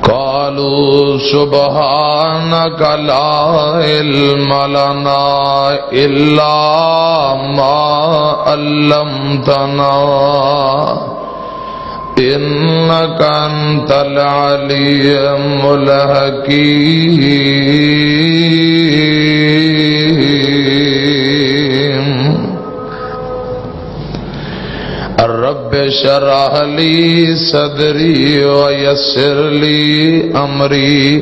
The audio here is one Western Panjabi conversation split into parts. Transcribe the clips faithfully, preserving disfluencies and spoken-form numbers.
قالوا سبحانك لا علم لنا إلا ما علمتنا إنك أنت العليم الحكيم. رب اشرح لي صدري ويسر لي أمري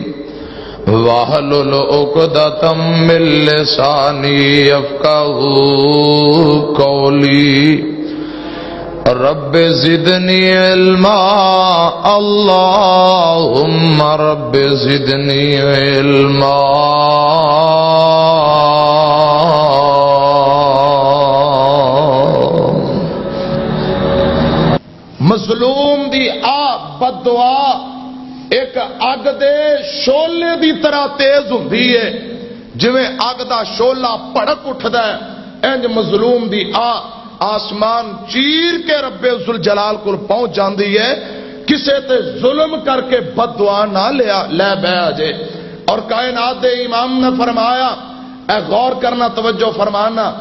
واحلل عقدة من لساني يفقهوا قولي. رب زدني علما، اللهم رب زدني علما. مظلوم دی آ بد دعا ایک اگ دے شعلے دی طرح تیز ہوندی ہے، جویں اگ دا شعلہ بھڑک اٹھدا ہے، انج مظلوم دی آ آسمان چیر کے رب ذوالجلال کول پہنچ جاندی ہے۔ کسے تے ظلم کر کے بد دعا نہ لیا، لے بہ آ جے۔ اور کائنات دے امام نے فرمایا، اے غور کرنا، توجہ فرمانا،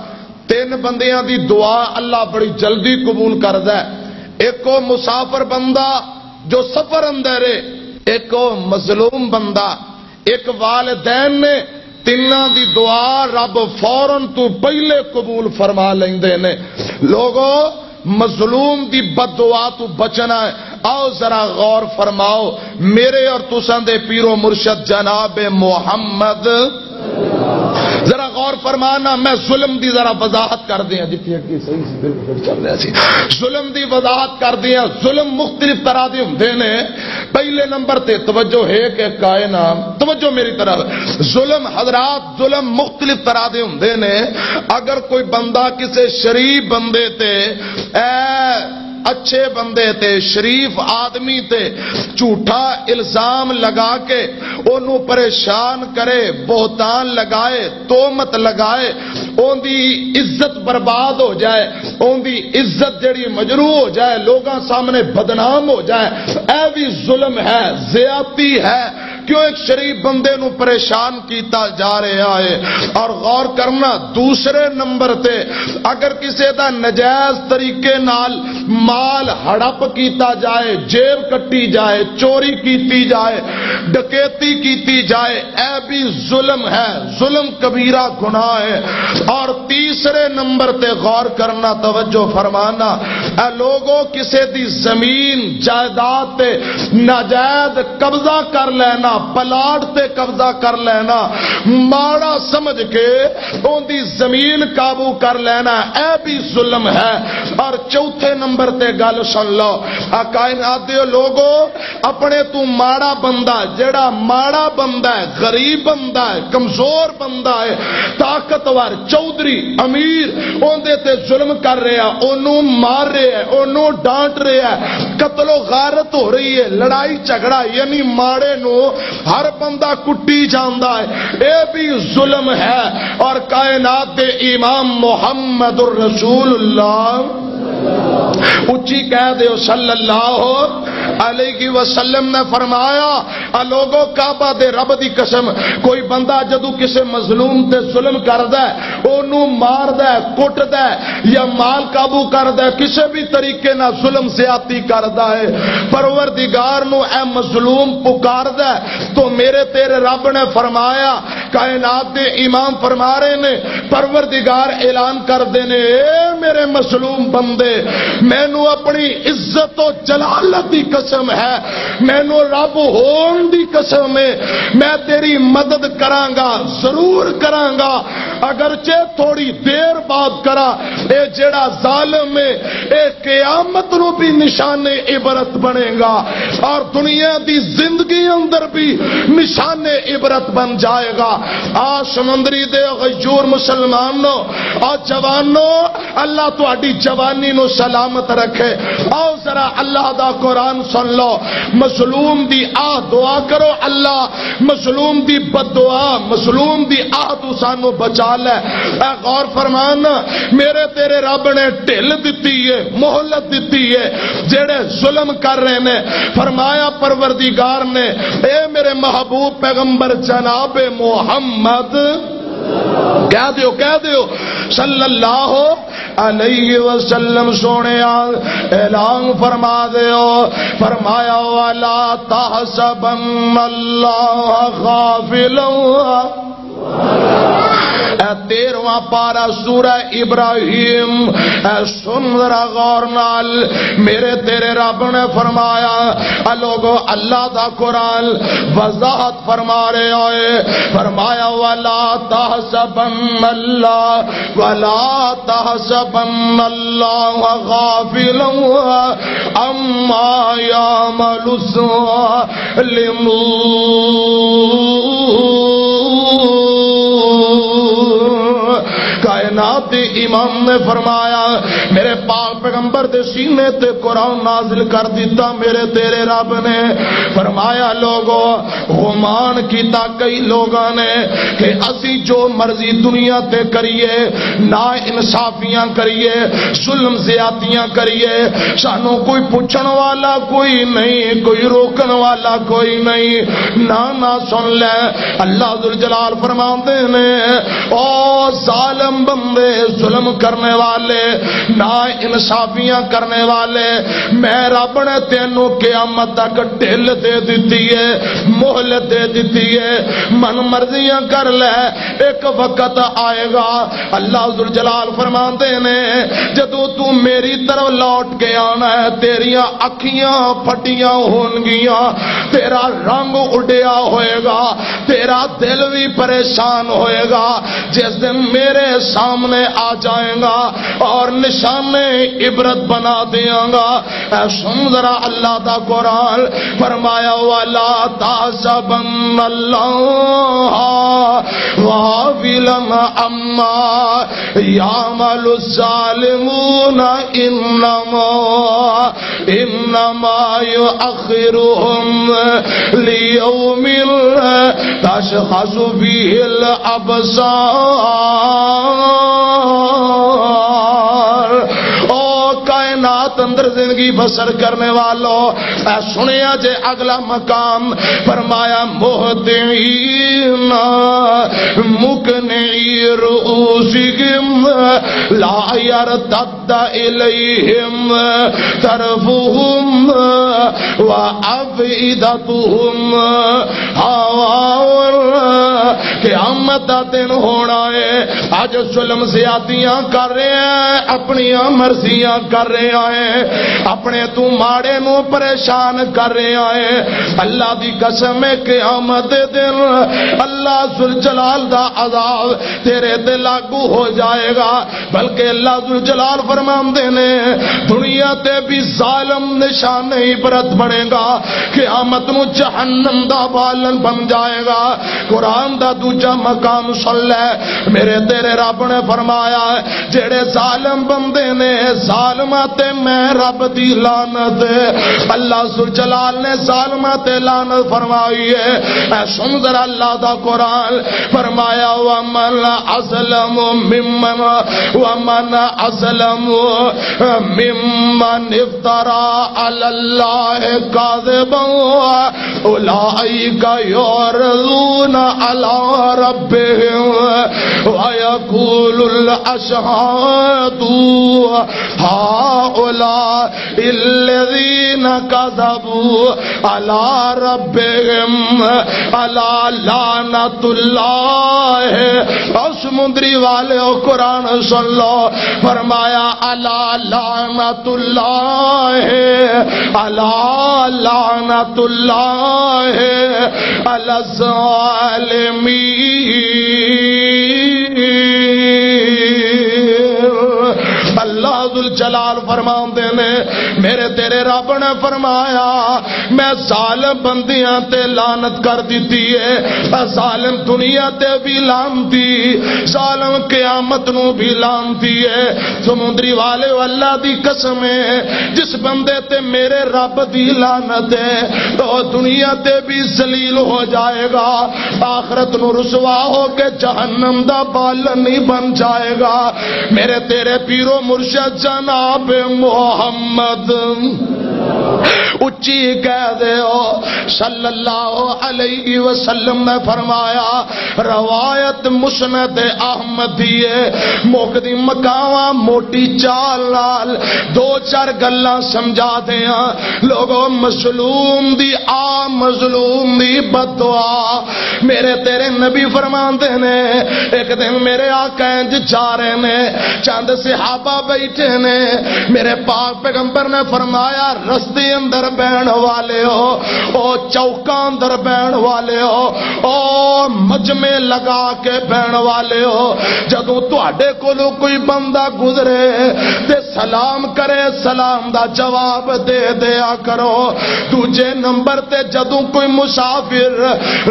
تین بندیاں دی دعا اللہ بڑی جلدی قبول کردا ہے۔ ایک او مسافر بندہ جو سفر اندر ہے، ایک او مظلوم بندہ، ایک والدین نے، تیناں دی دعا رب فوراً تو پہلے قبول فرما لیندے نے۔ لوگو، مظلوم دی بد دعا تو بچنا ہے۔ آؤ ذرا غور فرماؤ، میرے اور تساں دے پیرو مرشد جناب محمد، ذرا غور فرمانا، میں ظلم دی ذرا وضاحت کر دیاں، جتنی اگے صحیح سی، بالکل چل رہا سی۔ ظلم دی وضاحت کر دیاں۔ ظلم مختلف طرح دے ہوندے نے۔ پہلے نمبر تے توجہ ہے کہ کائنات، توجہ میری طرف، ظلم حضرات، ظلم مختلف طرح دے ہوندے نے۔ اگر کوئی بندہ کسے شریف بندے تے، اے اچھے بندے تے، شریف آدمی تے جھوٹا الزام لگا کے اونوں پریشان کرے، بہتان لگائے، تومت لگائے، اوندی عزت برباد ہو جائے، اوندی عزت جڑی مجروح ہو جائے، لوگاں سامنے بدنام ہو جائے، اے بھی ظلم ہے، زیادتی ہے۔ کیوں ایک شریف بندے نو پریشان کیتا جا رہا ہے؟ اور غور کرنا، دوسرے نمبر تے اگر کسے دا نجائز طریقے نال مال ہڑپ کیتا جائے، جیب کٹی جائے، چوری کیتی جائے، ڈکیتی کیتی جائے، اے بھی ظلم ہے، ظلم کبیرہ گناہ ہے۔ اور تیسرے نمبر تے غور کرنا، توجہ فرمانا، اے لوگوں، کسے دی زمین جائیداد تے ناجائز قبضہ کر لینا، پلاٹ تے قبضہ کر لینا، ماڑا سمجھ کے اون دی زمین قابو کر لینا، اے بھی ظلم ہے۔ اور چوتھے نمبر تے گل سن لو، آ کائنات دے لوگو، اپنے تو ماڑا بندہ، جڑا ماڑا بندہ ہے، غریب بندہ ہے، کمزور بندہ ہے، طاقتور، چودھری، امیر، اوندے تے ظلم کر رہا، اونوں مار رہا ہے، اونوں ڈانٹ رہا ہے، قتل و غارت ہو رہی ہے، لڑائی جھگڑا، یعنی ماڑے نو ہر بندہ کٹی جاندا ہے، اے بھی ظلم ہے۔ اور کائنات دے امام محمد الرسول اللہ اچھی کہہ دیو، صلی اللہ علیہ وسلم نے فرمایا، آ لوگو، کعبہ دے رب دی قسم، کوئی بندہ جدوں کسے مظلوم تے ظلم کردا ہے، اونوں ماردا ہے، کٹدا ہے یا مال قابو کردا ہے، کسے بھی طریقے نال ظلم زیادتی کردا ہے، پروردگار نو اے مظلوم پکاردا ہے، تو میرے تیرے رب نے فرمایا، کائنات دے امام فرما رہے نے، پروردگار اعلان کردے نے، اے میرے مظلوم بندے، مینوں اپنی عزت و جلالت دی قسم ہے، مینوں رب ہون دی قسم ہے، میں تیری مدد کراں گا، ضرور کراں گا، اگرچہ تھوڑی دیر بعد کراں۔ اے جڑا ظالم ہے، اے قیامت نو بھی نشان عبرت بنے گا اور دنیا دی زندگی اندر بھی نشان عبرت بن جائے گا۔ آ سمندری دے غیور مسلمانوں، آ جوانوں، اللہ تہاڈی جوانی نو سلامت رکھے۔ آؤ ذرا اللہ دا قرآن سن لو۔ مظلوم دی آہ دعا کرو، اللہ مظلوم دی بد دعا، مظلوم دی آہ تو سانو بچا لے۔ اے غور فرمان، میرے تیرے رب نے ڈھل دتی ہے، مہلت دتی ہے جڑے ظلم کر رہے نے۔ فرمایا پروردگار نے، اے میرے محبوب پیغمبر جناب محمد، کہہ دیو، کہہ دیو، صلی اللہ علیہ وسلم، سونے اعلان فرما دیو۔ فرمایا، "ولا تحسبن اللہ غافلا۔" اے تیرہواں پارہ سورہ ابراہیم، اے سن ذرا غور نال، میرے تیرے رب نے فرمایا، اے لوگو، اللہ دا قرآن وضاحت فرما رہے ہوئے، فرمایا، "ولا تحسبن اللہ، ولا تحسبن اللہ غافلا عما یعمل الظالمون۔" کائنات دے امام نے فرمایا، میرے پاک پیغمبر دے سینے تے قرآن نازل کر دیتا میرے تیرے رب نے۔ فرمایا، لوگو، گمان کیتا کئی لوگاں نے کہ اسی جو مرضی دنیا تے کریے، نا انصافیاں کریے، ظلم زیادتیاں کریے، سانو کوئی پوچھن والا کوئی نہیں، کوئی روکن والا کوئی نہیں۔ نہ، نہ، سن لے، اللہ ذوالجلال فرماندے نے، او ظالم بندے، ظلم کرنے والے، نا انصافیاں کرنے والے، میں رب نے تینوں قیامت تک ڈھل دے دتی ہے، مہلت دے دتی ہے، من مرضیاں کر لے، ایک وقت آئے گا۔ اللہ ذوالجلال فرماندے نے، جدوں تو میری طرف لوٹ کے آنا ہے، تیریاں اکھیاں پھٹیاں ہون گیاں، تیرا رنگ اڈیا ہوئے گا، تیرا دل بھی پریشان ہوئے گا۔ جس دن میرے سامنے آ جائیں گا اور نشانے عبرت بنا دیاں گا۔ اے سن ذرا اللہ دا قرآن، فرمایا، "ولا تحسبن اللہ غافلا عما یعمل الظالمون انما، انما یؤخرهم لیوم تشخص فیہ الابصار۔" او کائنات اندر زندگی بسر کرنے والو، اے سنیا جے اگلا مقام، فرمایا، مہطعین مقنعی رؤوسہم لا یرتد الیہم طرفہم وافئدتہم ہواء، قیامت دا دن ہونا ہے۔ اج ظلم زیادتیاں کر رہے ہیں، اپنیاں مرضیاں کر رہے ہیں، اپنے تو ماڑے نو پریشان کر رہے ہیں۔ اللہ دی قسم ہے، قیامت دے دن اللہ ذوالجلال دا عذاب تیرے تے لاگو ہو جائے گا۔ بلکہ اللہ ذوالجلال فرماندے نے، دنیا تے بھی ظالم نشان عبرت بنے گا، قیامت نو جہنم دا بالن بن جائے گا۔ قرآن دا دوجا مقام سن لے، میرے تیرے رب نے فرمایا، جڑے ظالم بندے نے، ظالماں تے میں رب دی لعنت۔ اللہ ذوالجلال نے ظالماں تے لعنت فرمائی ہے۔ اے سن ذرا اللہ دا قرآن، فرمایا، ومن اظلم ممن، ومن اظلم ممن افترى على الله كذبا اولئك يعرضون على ربهم ويقول الاشهاد هؤلاء الذين كذبوا على ربهم الا لعنت اللہ۔ او سمندری والے، او قرآن سن لو، فرمایا، الا لعنت اللہ، الا لعنت اللہ علی الظالمین۔ اللہ جلال فرماندے نے، میرے تیرے رب نے فرمایا، میں ظالم بندیاں تے لعنت کر دتی ہے، ظالم دنیا تے بھی لعنتی، ظالم قیامت نو بھی لعنتی ہے۔ سمندری والے، اللہ دی قسم ہے، جس بندے تے میرے رب دی لعنت ہے، تو دنیا تے بھی ذلیل ہو جائے گا، آخرت نو رسوا ہو کے جہنم دا بالن نہیں بن جائے گا۔ میرے تیرے پیرو مرشد جناب محمد، اچی کہہ دیو، صلی اللہ علیہ وسلم نے فرمایا، روایت مسند احمد دی ہے، مک دی مکاواں موٹی چال نال دو چار گلاں سمجھا دیاں۔ لوگو، مظلوم دی آ، مظلوم دی بد دعا۔ میرے تیرے نبی فرماندے نے، ایک دن میرے آقا انج جا رہے نے، چند صحابہ بیٹھے نے، میرے پاک پیغمبر نے فرمایا، رستے اندر بہن والے ہو، او چوکاں اندر بہن والے ہو، او مجمع لگا کے بہن والے ہو، جدوں تہاڈے کولوں کوئی بندہ گزرے تے سلام کرے، سلام دا جواب دے دیا کرو۔ دوجے نمبر تے جدوں کوئی مسافر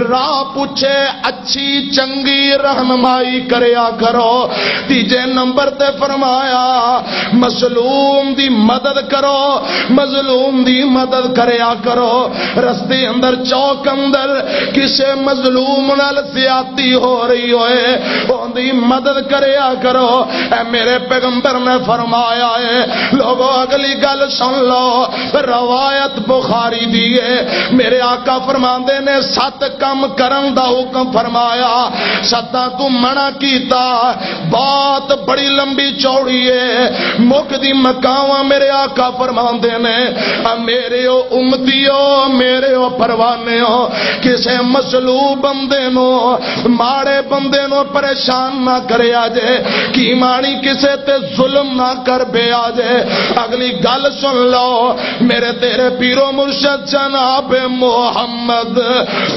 راہ پوچھے، اچھی چنگی رہنمائی کریا کرو۔ تیجے نمبر تے فرمایا، مظلوم دی مدد کرو، مظلوم دی مدد کریا کرو۔ رستے اندر، چوک اندر کسے مظلوم نال زیادتی ہو رہی ہوئے، اوندی مدد کریا کرو۔ اے میرے پیغمبر نے فرمایا ہے۔ لوگو، اگلی گل سن لو، روایت بخاری دی ہے۔ میرے آقا فرماندے نے، ست کم کرن دا حکم فرمایا، ستاں تو منع کیتا۔ بات بڑی لمبی چوڑی ہے، مک دی مکاواں۔ میرے آقا فرماندے نے، اے میرے او امتیو، میرے او پروانے ہو، کسے مظلوم بندے نو، ماڑے بندے نو پریشان نہ کریا جے، کی مانی کسے تے ظلم نہ کر بیا جے۔ اگلی گل سن لو، میرے تیرے پیرو مرشد جناب محمد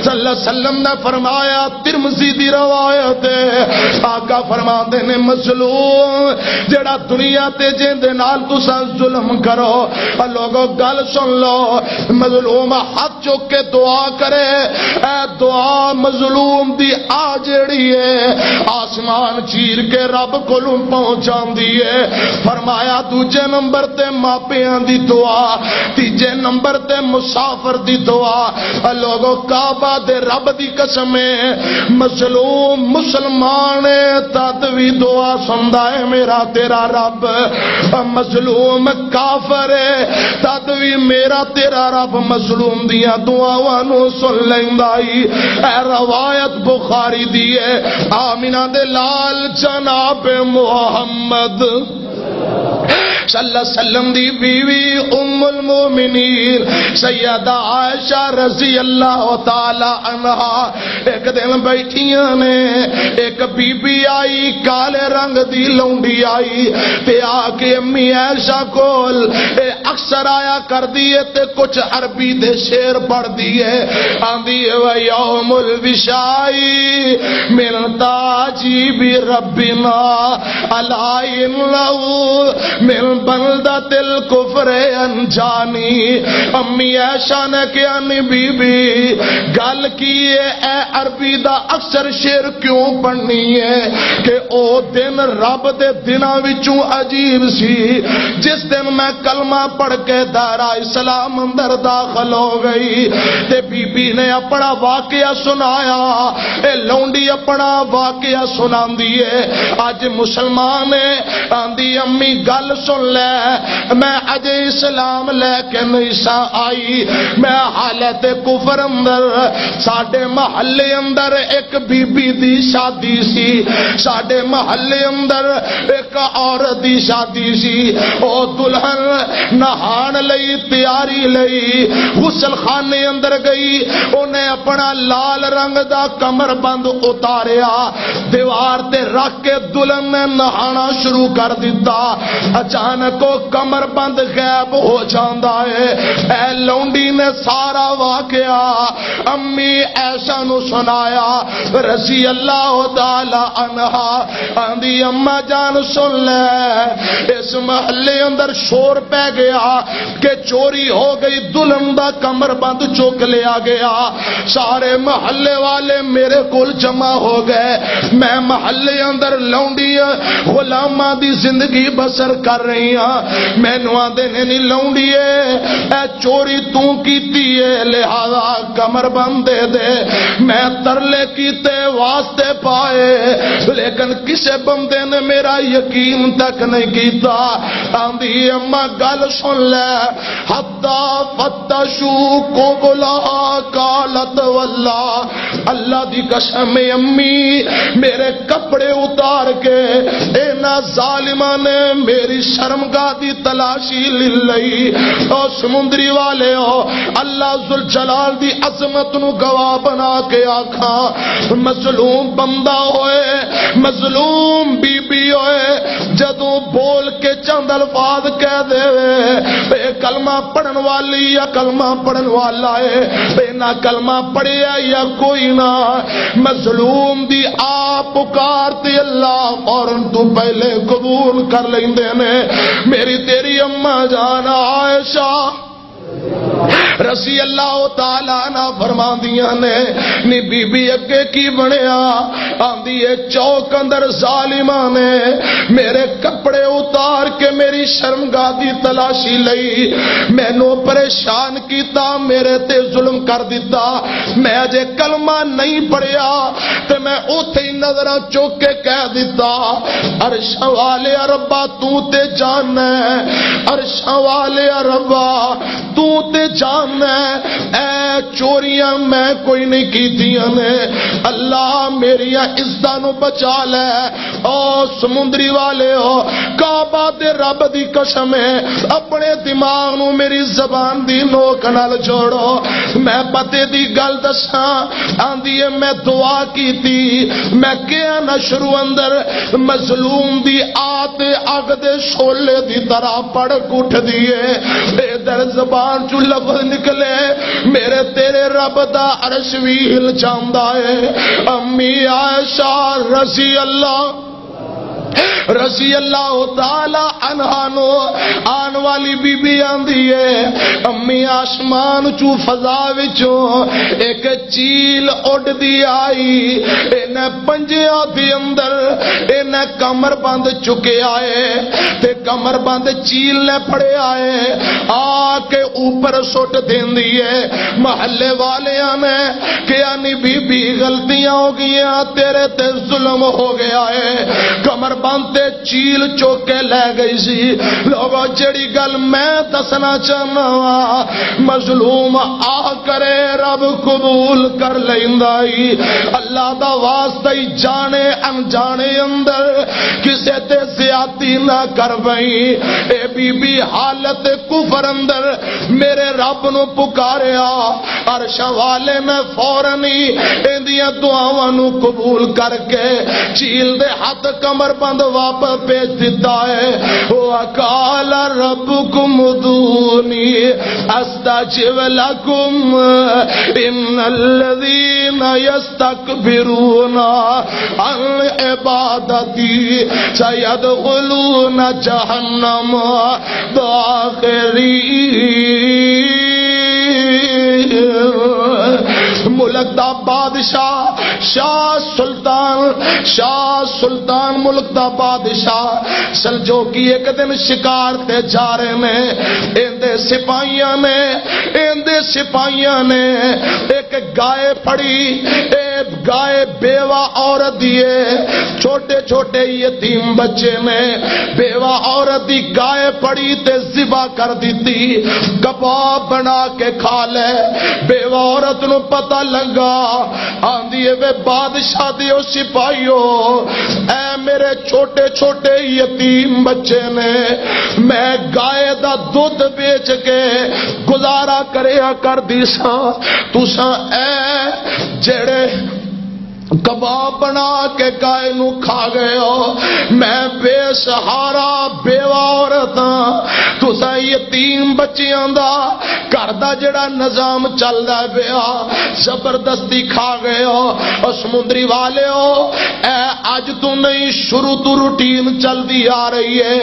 صلی اللہ علیہ وسلم نے فرمایا، ترمذی دی روایت ہے، آقا فرماندے نے، مظلوم جڑا دنیا تے جیندے نال تساں ظلم کرو، اور لوگو گل سن لو، مظلوم ہاتھ چک کے دعا کرے، اے دعا مظلوم دی آ جیڑی ہے، آسمان چیر کے رب کولوں پہنچاندی ہے۔ فرمایا، دوجے نمبر تے ماپیاں دی دعا، تیجے نمبر تے مسافر دی دعا۔ اے لوگو، کعبہ دے رب دی قسم ہے، مظلوم مسلمان ہے، تد وی دعا سندا ہے میرا تیرا رب۔ اے مظلوم کافر ہے، تد وی میرا تیرا رب مظلوم دیاں دعاواں نوں سن لیندا ای۔ اے روایت بخاری دی ہے۔ آمینہ دے لال جناب محمد صلی اللہ علیہ وسلم دی بیوی ام المومنین سیدہ عائشہ رضی اللہ تعالی عنہا ایک دن بیٹھیاں نے، ایک بی بی آئی، کالے رنگ دی لونڈی آئی تے آ کے، امی عائشہ کول اے اکثر آیا کردی ہے تے کچھ عربی دے شعر پڑھدی ہے۔ آندی ہے، "و یوم الوشائی من تاجی بی ربنا، الا انہو من بلدت الکفر انجانی۔" امی عائشہ نے کہا، "نی بی بی، گل کی ہے؟ اے عربی دا اکثر شعر کیوں پڑھنی ہے؟" کہ او دن رب دے دناں وچوں عجیب سی، جس دن میں کلمہ پڑھ کے دائرہ اسلام اندر داخل ہو گئی۔ تے بی بی نے اپنا واقعہ سنایا، اے لونڈی اپنا واقعہ سناندی ہے۔ اج مسلمان ہے، آندی، "امی، گل سن لے، میں اجے اسلام لے کے نہیں سا آئی، میں حالت کفر اندر۔" ساڈے محلے اندر ایک بی بی دی شادی سی، ساڈے محلے اندر ایک عورت دی شادی سی۔ او دلہن نہان لئی تیاری لئی غسل خانے اندر گئی، انہیں اپنا لال رنگ دا کمر بند اتاریا، دیوار تے رکھ کے دلہن نے نہانا شروع کر دتا۔ اچانک کو کمر بند غائب ہو جاندا ہے۔ اے لونڈی نے سارا واقعہ امی عائشہ نو سنایا۔ رضی اللہ تعالی عنہا آندی، اماں جان سن لے، اس محلے اندر شور پہ گیا کہ چوری ہو گئی، ظلم دا کمر بند چک لیا گیا۔ سارے محلے والے میرے کول جمع ہو گئے۔ میں محلے اندر لونڈی غلاماں دی زندگی بسر کر رہی ہاں۔ مینوں آندے نے، نہیں لونڈیے، اے چوری توں کیتی ہے، لہذا کمر بند دے دے۔ میں ترلے کیتے، واسطے پائے، لیکن کسے بندے نے میرا یقین تک نہیں کیتا۔ آندی، اماں گل سن لے، حتی فتشوا قبلها قالت واللہ، اللہ دی قسم ہے امی، میرے کپڑے اتار کے انہاں ظالماں نے میری شرمگاہ دی تلاشی لے لئی۔ او سمندری والے ہو، اللہ ذوالجلال دی عظمت نو گواہ بنا کے آکھاں، مظلوم بندہ ہوئے، مظلوم بی بی ہوئے، جدوں بول کے چند الفاظ کہہ دے، اے کلمہ پڑھن والی یا کلمہ پڑھن والا ہے، اے نہ کلمہ پڑھیا یا کوئی نہ، مظلوم دی آپ پکار تے اللہ فوراً تو پہلے قبول کر لیندے نے۔ میری تیری اماں جان عائشہ رضی اللہ تعالیٰ عنہ فرماندیاں نے، نی بی بی اگے کی بنیا؟ آندی ہے، چوک اندر ظالماں نے میرے کپڑے اتار کے میری شرمگاہ دی تلاشی لئی، مینوں پریشان کیتا، میرے تے ظلم کر دتا۔ میں اجے کلمہ نہیں پڑھیا تے میں اوتھے ہی نظراں چوک کے کہہ دتا، عرش والے ربا، تو تے جان ہے، عرش والے ربا، تو تے جان ہے، اے چوریاں میں کوئی نہیں کیتیاں نے۔ اللہ، میریاں عزتاں نو بچا لے۔ او سمندری والے ہو، کعبہ دے رب دی قسم ہے، اپنے دماغ نو میری زبان دی نوک نال جوڑو۔ میں پتے دی گل دساں، آندی ہے، میں دعا کیتی، میں کیا نہ شروع اندر مظلوم دی آت اگ دے شعلے دی طرح پڑک اٹھ دیے۔ ادھر زبان چوں لفظ نکلے، میرے تیرے رب دا عرش وی ہل جاندا ہے۔ امی عائشہ رضی اللہ، رضی اللہ تعالی عنہا نو آن والی بی بی آندی ہے، امی آسمان چوں فضا وچوں ایک چیل اڈدی آئی، انہیں پنجیاں دے اندر انہیں کمر بند چکیا ہے تے کمر بند چیل نے پڑیا ہے، آ کے اوپر سٹ دیندی ہے۔ محلے والیاں نے کہیا، نی بی بی، غلطیاں ہو گئیاں، تیرے تے ظلم ہو گیا ہے۔ کمر بند تے چیل چوک کے لے گئی سی۔ لوگو، جڑی گل میں دسنا چاہنا وا، مظلوم آ کرے، رب قبول کر لیندا ای۔ اللہ دا واسطہ ای، جانے انجانے اندر کسے تے زیادتی نہ کر بئی۔ اے بی بی حالت کفر اندر میرے رب نو پکاریا، عرش والے نے فوراً ہی ایندیاں دعاواں نو قبول کر کے جھیل دے ہتھ کمر بند واپس بھیج دتا ہے۔ وقال ربکم ادعونی استجب لکم ان الذین یستکبرون عن عبادتی سیدخلون جہنم داخرین۔ ملک دا بادشاہ، شاہ سلطان، شاہ سلطان ملک دا بادشاہ سلجوکی ایک دن شکار تے جا رہے نے۔ ایندے سپاہیاں نے، ایندے سپاہیاں نے ایک گائے پھڑی۔ اے گائے بیوہ عورت دی ہے، چھوٹے چھوٹے یتیم بچے نے، بیوہ عورت دی گائے پڑی تے ذبح کر دتی، کباب بنا کے کھا لے۔ بیوہ عورت نو پتہ لگا، آندی ہے، وے بادشاہ دیو سپاہیو، اے میرے چھوٹے چھوٹے یتیم بچے نے، میں گائے دا دودھ بیچ کے گزارا کریا کر دی ساں، تساں اے جڑے کباب بنا کے گائے نو کھا گئے ہو۔ میں بے سہارا بیوہ عورت ہاں، تساں یتیم بچیاں دا گھر دا جڑا نظام چلدا پیا، زبردستی کھا گئے ہو۔ او سمندری والے ہو، اے اج تو نہیں، شروع تو روٹین چلدی آ رہی ہے۔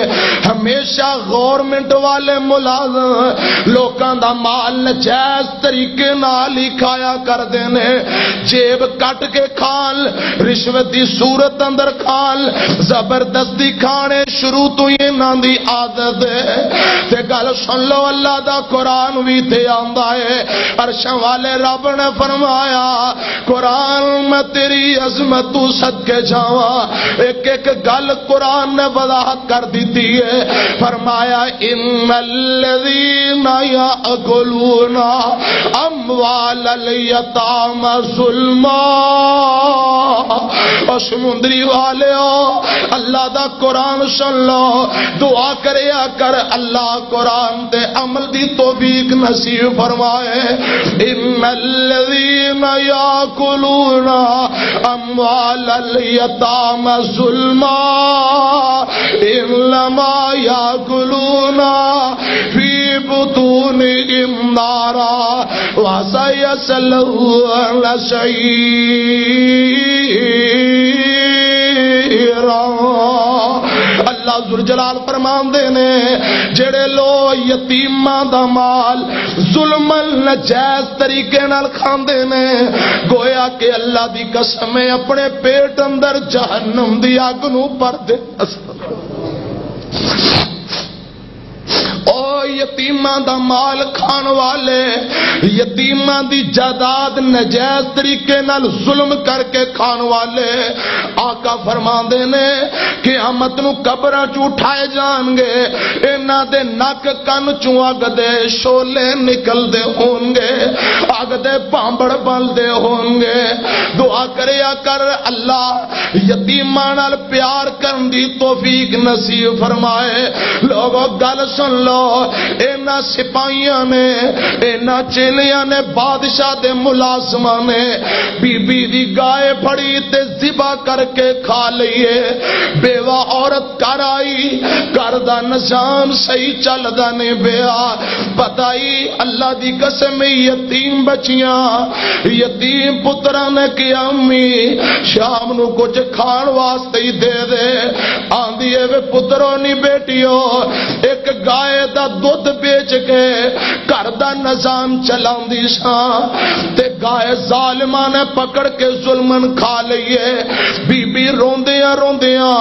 ہمیشہ گورنمنٹ والے ملازم لوکاں دا مال نجائز طریقے نال ہی کھایا کردے نے۔ جیب کٹ کے کھان، رشوت دی صورت اندر کھان، زبردستی کھانے شروع تو ہی انہاں دی عادت ہے۔ تے گل سن لو، اللہ دا قرآن بھی تے آندا ہے۔ عرشاں والے رب نے فرمایا، قرآن، میں تیری عظمت تو صدقے جاواں۔ ایک ایک گل قرآن نے وضاحت کر دیتی ہے۔ فرمایا، ان الذین یاکلون اموال الیتامی ظلما۔ او سمندری والےو، اللہ دا قرآن سن لو، دعا کریا کر، اللہ قرآن تے عمل دی توفیق نصیب فرمائے۔ ان الذین یاکلون اموال الیتامی ظلما انما یاکلون فی بطونہم نارا وسیصلون سعیرا۔ اللہ ذوالجلال فرماندے نے، جڑے لوگ یتیماں دا مال ظلمن نجائز طریقے نال کھاندے نے، گویا کہ اللہ دی قسم ہے، اپنے پیٹ اندر جہنم دی اگ نوں بھر دے۔ او یتیماں دا مال کھان والے، یتیماں دی جائیداد نجائز طریقے نال ظلم کر کے کھان والے، آقا فرماندے نے، قیامت نو قبراں چوں اٹھائے جان گے، انہاں دے نک کن چوں اگ دے شعلے نکل دے ہون گے، اگ دے پامبڑ بل دے ہون گے۔ دعا کریا کر، اللہ یتیماں نال پیار کرن دی توفیق نصیب فرمائے۔ لوگو، گل سن لو، انہاں سپاہیاں نے، انہاں چیلیاں نے، بادشاہ دے ملازماں نے بی بی دی گائے پھڑی تے ذبح کر کے کھا لئیے۔ بیوہ عورت گھر آئی، گھر دا نظام صحیح چلدا نہیں پیا۔ پتہ ہی اللہ دی قسم، یتیم بچیاں، یتیم پتراں نے کہیا، امی، شام نو کچھ کھان واسطے ہی دے دے۔ آندی ہے، وے پترو نہیں بیٹیو، ایک گائے دا دودھ بیچ کے گھر دا نظام چلاندی ساں، تے گائے ظالماں نے پکڑ کے ظلمن کھا لئی ہے۔ بی بی روندیاں روندیاں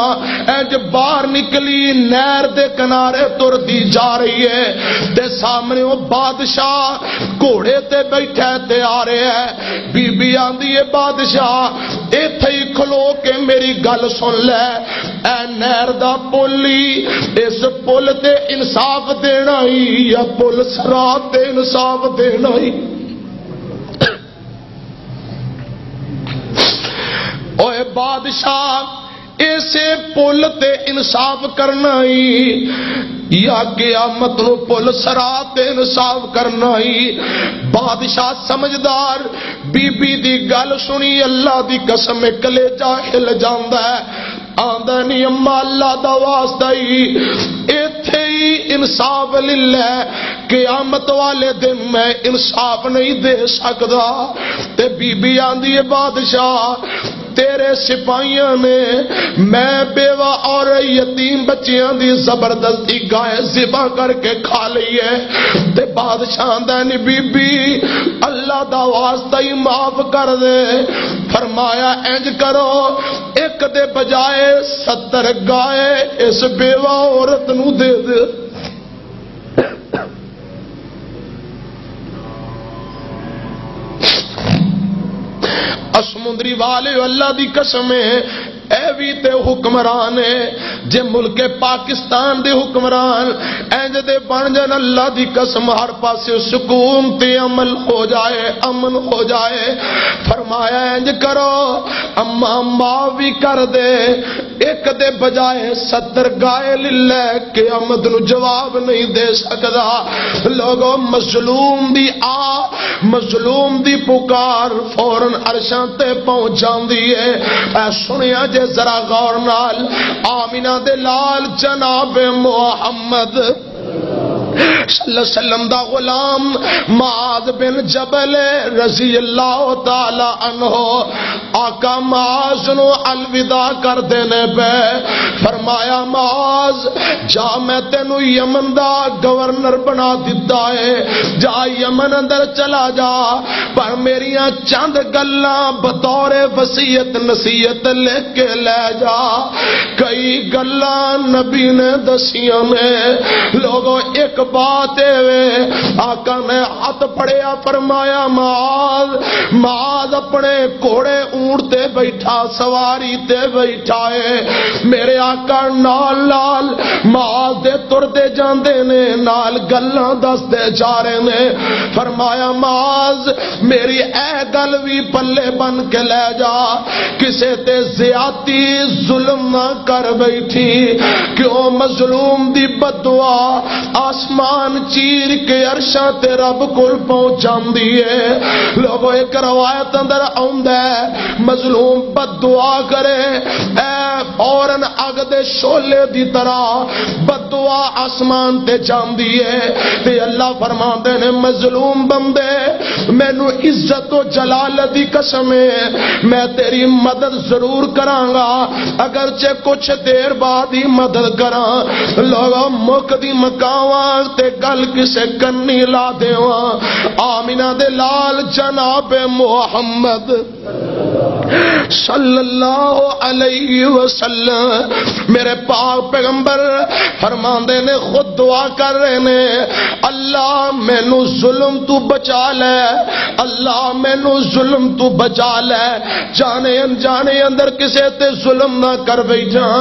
انج باہر نکلی، نہر دے کنارے تردی جا رہی ہے، تے سامنے او بادشاہ گھوڑے تے بیٹھا ہے تے آ رہا ہے۔ بی بی آندی ہے، بادشاہ، ایتھے ہی کھلو کے میری گل سن لے، اے نہر دا پل ہی، اس پل تے انصاف دینا ہی یا پل صراط تے انصاف دینا ہی؟ اوے بادشاہ، اسے پل تے انصاف کرنا ہی یا قیامت نو پل صراط تے انصاف کرنا ہی؟ بادشاہ سمجھدار، بی بی دی گل سنی، اللہ دی قسم، کلیجہ ہل جاندا ہے۔ آندا نہیں، اما، اللہ دا واسطہ ہی، ایتھے ہی انصاف للہ، قیامت والے دن میں انصاف نہیں دے سکدا۔ تے بی بی آندی ہے، بادشاہ، تیرے سپاہیاں نے میں بیوہ اور یتیم بچیاں دی زبردستی گائے ذبح کر کے کھا لئی ہے۔ تے بادشاہ آندا نہیں، بی بی، اللہ دا واسطہ ہی معاف کر دے۔ فرمایا، انج کرو، ایک دے بجائے ستر گائے اس بیوہ عورت نو دے دے۔ سمندری والے، اللہ دی قسم ہے، اے وی تے حکمران ہے۔ جے ملک پاکستان دے حکمران انج دے بن جان، اللہ دی قسم، ہر پاسے سکون تے عمل ہو جائے، امن ہو جائے۔ فرمایا، انج کرو، اما معاف بھی کر دے، ایک دے بجائے ستر گائے للہ، قیامت نو جواب نہیں دے سکدا۔ لوگو، مظلوم دی آ، مظلوم دی پکار فوراً عرشاں تے پہنچ جاندی ہے۔ اے سنیا جے ذرا غور نال، آمینہ دے لال جناب محمد صلی اللہ علیہ وسلم دا غلام معاذ بن جبل رضی اللہ تعالی عنہ، آقا معاذ نو الوداع کردے نے پے۔ فرمایا، معاذ، جا، میں تینو یمن دا گورنر بنا دتا ہے، جا یمن اندر چلا جا، پر میریاں چند گلاں بطور وصیت نصیحت لکھ کے لے جا۔ کئی گلاں نبی نے دسیاں نے۔ لوگو، ایک بات اے وے، آقا نے ہاتھ پڑیا، فرمایا، معاذ، معاذ اپنے گھوڑے اونٹ تے بیٹھا، سواری تے بیٹھا ہے۔ میرے آقا نال نال معاذ دے تردے جاندے نے، نال گلاں دسدے جا رہے نے۔ فرمایا، معاذ، میری اے گل وی پلے بن کے لے جا، کسے تے زیادتی ظلم نہ کر بیٹھی، کیوں مظلوم دی بددعا آسمان چیر کے عرشاں تے رب کول پہنچ جاندی ہے۔ لوگو، ایک روایت اندر آوندا ہے، مظلوم بددعا کرے، اے فوراً اگ دے شعلے دی طرح بددعا آسمان تے جاندی ہے۔ تے اللہ فرماندے نے، مظلوم بندے، مینوں عزت و جلالت دی قسم ہے، میں تیری مدد ضرور کراں گا، اگرچہ کچھ دیر بعد ہی مدد کراں۔ لوگوں، مک دی مکاواں تے گل کسے کنی لا دیواں۔ آمینہ دے لال جناب محمد صلی اللہ علیہ وسلم، میرے پاک پیغمبر فرماندے نے، خود دعا کر رہے نے، اللہ مینوں ظلم تو بچا لے، اللہ مینوں ظلم تو بچا لے، جانے انجانے اندر کسے تے ظلم نہ کر بیٹھاں۔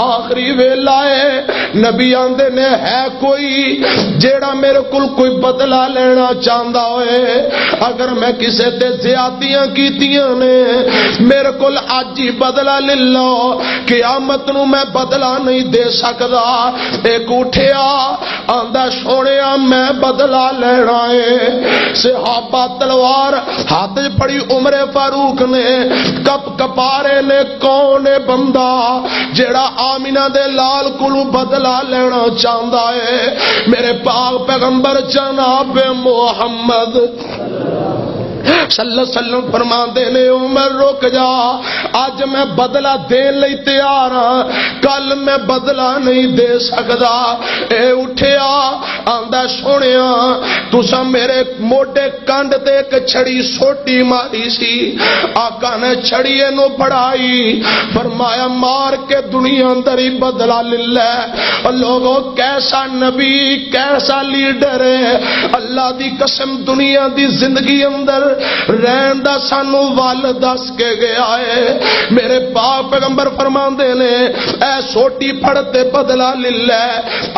آخری ویلا ہے، نبی آندے نے، ہے کوئی جیڑا میرے کول کوئی بدلہ لینا چاہندا ہوئے؟ اگر میں کسے تے زیادتیاں کیتیاں نے، میرے کول اج ہی بدلہ لے لو، قیامت نو میں بدلہ نہیں دے سکدا۔ ایک اٹھیا، آندا، سونیا، میں بدلہ لینا ہے۔ صحابہ تلوار ہاتھ وچ پھڑی، عمر فاروق نے کپ کپارے نے، کون ہے بندہ جیڑا آمینہ دے لال کولوں بدلہ لینا چاہندا ہے؟ میرے پاک پیغمبر جناب محمد صلی اللہ علیہ وسلم فرماندے نے، عمر، رک جا، اج میں بدلہ دین لئی تیار ہاں، کل میں بدلہ نہیں دے سکدا۔ اے اٹھیا، آندا، سونیا، تساں میرے موڈے کنڈ تے ایک چھڑی سوٹی ماری سی۔ آقا نے چھڑی نو پڑائی، فرمایا، مار کے دنیا اندر ہی بدلہ لے لے۔ لوگوں، کیسا نبی، کیسا لیڈر ہے۔ اللہ دی قسم، دنیا دی زندگی اندر رہن دا سانو ول دس کے گیا ہے۔ میرے پاک پیغمبر فرماندے نے، اے سوٹی پھڑ تے بدلہ لے لے۔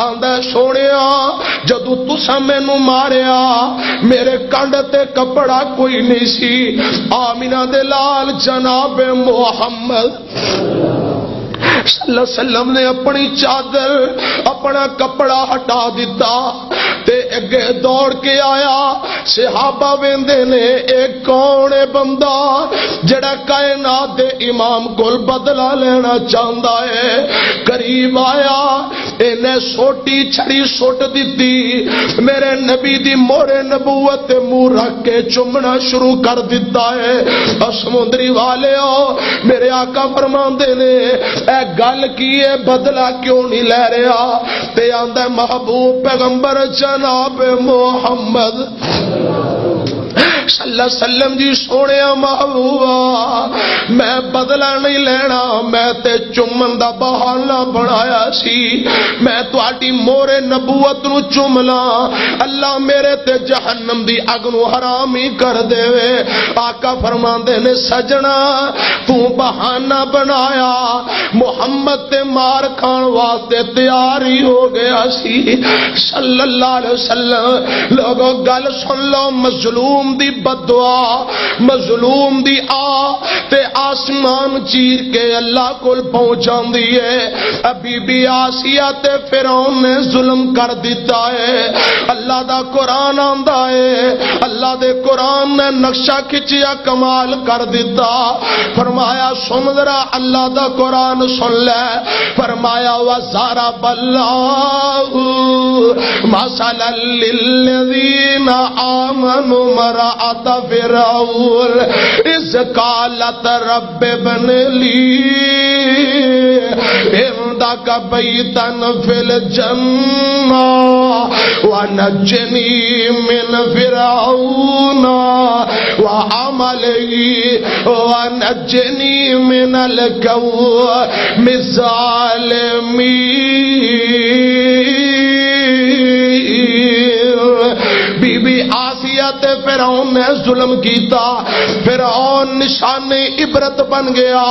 آندا، سونیا، جدوں تساں مینوں ماریا، میرے کنڈ تے کپڑا کوئی نہیں سی۔ آمینہ دے لال جناب محمد صلی اللہ علیہ وسلم نے اپنی چادر، اپنا کپڑا ہٹا دتا تے اگے دوڑ کے آیا۔ صحابہ ویندے نے، اے کون ہے بندہ جڑا کائنات دے امام کول بدلہ لینا چاہندا ہے؟ قریب آیا، اینے سوٹی چھڑی سٹ دتی، میرے نبی دی مورے نبوت تے منہ رکھ کے چومنا شروع کر دتا ہے۔ اور سمندری والے ہو، میرے آقا فرماندے نے، اے گل کی ہے، بدلہ کیوں نہیں لے رہا؟ تے آندا ہے، محبوب پیغمبر جناب محمد صلی اللہ علیہ وسلم جی، سونیا محبوبا، میں بدلہ نہیں لینا، میں تے چومن دا بہانہ بنایا سی، میں تہاڈی مورے نبوت نو چوم لاں، اللہ میرے تے جہنم دی اگ نو حرام ہی کر دے۔ آقا فرماندے نے، سجنا، تو بہانہ بنایا، محمد تے مار کھان واسطے تیار ہی ہو گیا سی، صلی اللہ علیہ وسلم۔ لوگو، گل سن لو، مظلوم دی بددعا، مظلوم دی آ تے آسمان چیر کے اللہ کول پہنچ جاندی ہے۔ اے بی بی آسیہ تے فرعون نے ظلم کر دتا ہے۔ اللہ دا قرآن آندا ہے، اللہ دے قرآن نے نقشہ کھچیا، کمال کر دتا۔ فرمایا، سن ذرا، اللہ دا قرآن سن لے۔ فرمایا، وضرب اللہ مثلا للذین آمنوا امرأة فرعون اذ قالت رب ابن لی عندک بیتا فی الجنہ ونجنی من فرعون وعملہ ونجنی من القوم الظالمین۔ بی بی آسیہ تے فرعون نے ظلم کیتا، فرعون نشان عبرت بن گیا،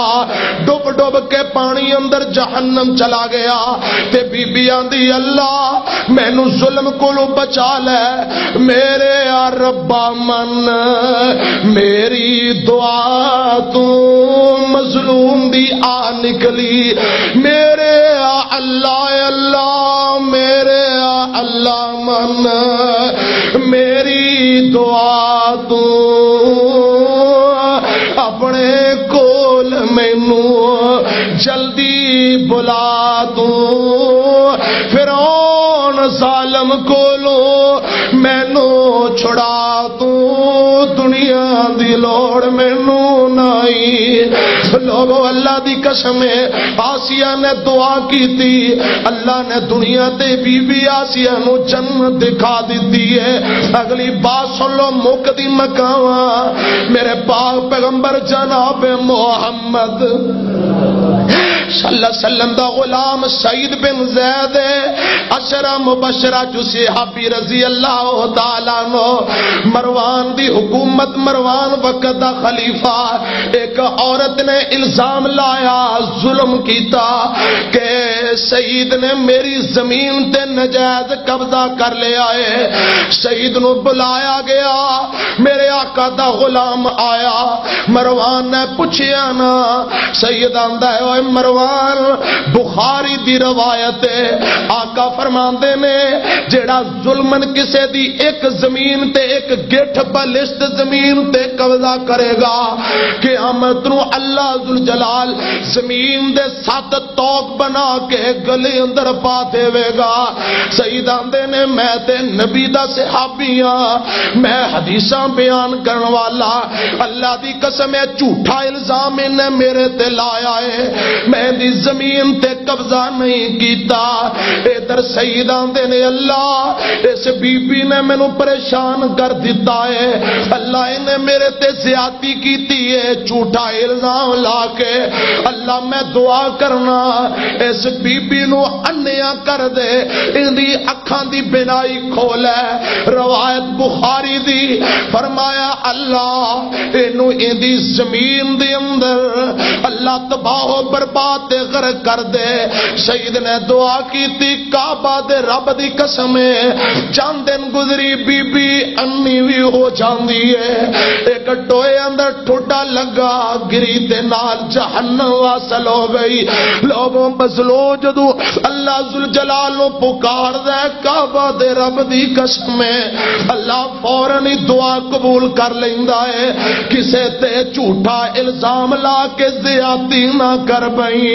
ڈب ڈب کے پانی اندر جہنم چلا گیا۔ تے بی بی آندی، اللہ، مینوں ظلم کولوں بچا لے۔ میرے آ ربا من، میری دعا تو مظلوم دی آ نکلی۔ میرے آ اللہ، اے اللہ، میرے آ اللہ من، میری دعا تو اپنے کول مینوں جلدی بلا تو، فرعون ظالم کولوں مینوں چھڑا تو، دنیا دی لوڑ مینوں نہیں۔ لوگو، اللہ دی قسم ہے، آسیہ نے دعا کیتی، اللہ نے دنیا تے بی بی آسیہ نو جنت دکھا دتی ہے۔ اگلی بات سن لو، مکدی مکاواں، میرے پاک پیغمبر جناب محمد صلی اللہ علیہ وسلم دا غلام سعید بن زید، عشرہ مبشرہ چ صحابی رضی اللہ تعالیٰ عنہ، مروان دی حکومت، مروان وقت دا خلیفہ۔ ایک عورت نے الزام لایا، ظلم کیتا کہ سعید نے میری زمین تے نجائز قبضہ کر لیا ہے۔ سعید نو بلایا گیا، میرے آقا دا غلام آیا، مروان نے پوچھیا نا۔ سید آندا ہے، اوے مروان، بخاری دی روایت ہے، آقا فرماندے نے، جیڑا ظلمن کسے دی ایک زمین تے، ایک گٹھ بلشت زمین تے قبضہ کرے گا، قیامت نو اللہ ذوالجلال زمین دے ست توک بنا کے گلے اندر پا دے وے گا۔ سید آندے نے، میں تے نبی دا صحابی ہاں، میں حدیثاں بیان کرن والا، اللہ دی قسم ہے، جھوٹا الزام انہیں میرے تے لایا ہے، میں دی زمین تے قبضہ نہیں کیتا۔ ادھر سید آندے نے، اللہ، اس بی بی نے مینوں پریشان کر دتا ہے، اللہ، انہیں میرے تے زیادتی کیتی ہے، جھوٹا الزام لا کے۔ اللہ، میں دعا کرنا، اس بی بی نو انیا کر دے، ان دی اکھاں دی بینائی کھول ہے۔ روایت بخاری دی، فرمایا، اللہ، اینو ایندی زمین دے اندر اللہ تباہ و برباد تے غرق کر دے۔ سید نے دعا کیتی، کعبہ دے رب دی قسم ہے، چند دن گزری، بی بی انی وی ہو جاندی ہے۔ ایک ٹوئے اندر ٹھڈا لگا، گری دے نال جہنم واصل ہو گئی۔ لوگوں، بزلو جدوں اللہ ذوالجلال نو پکار دے، کعبہ دے رب دی قسم ہے، اللہ فوراً ہی دعا قبول کر لیندا ہے۔ کسے تے جھوٹا الزام لا کے زیادتی نہ کر بئی،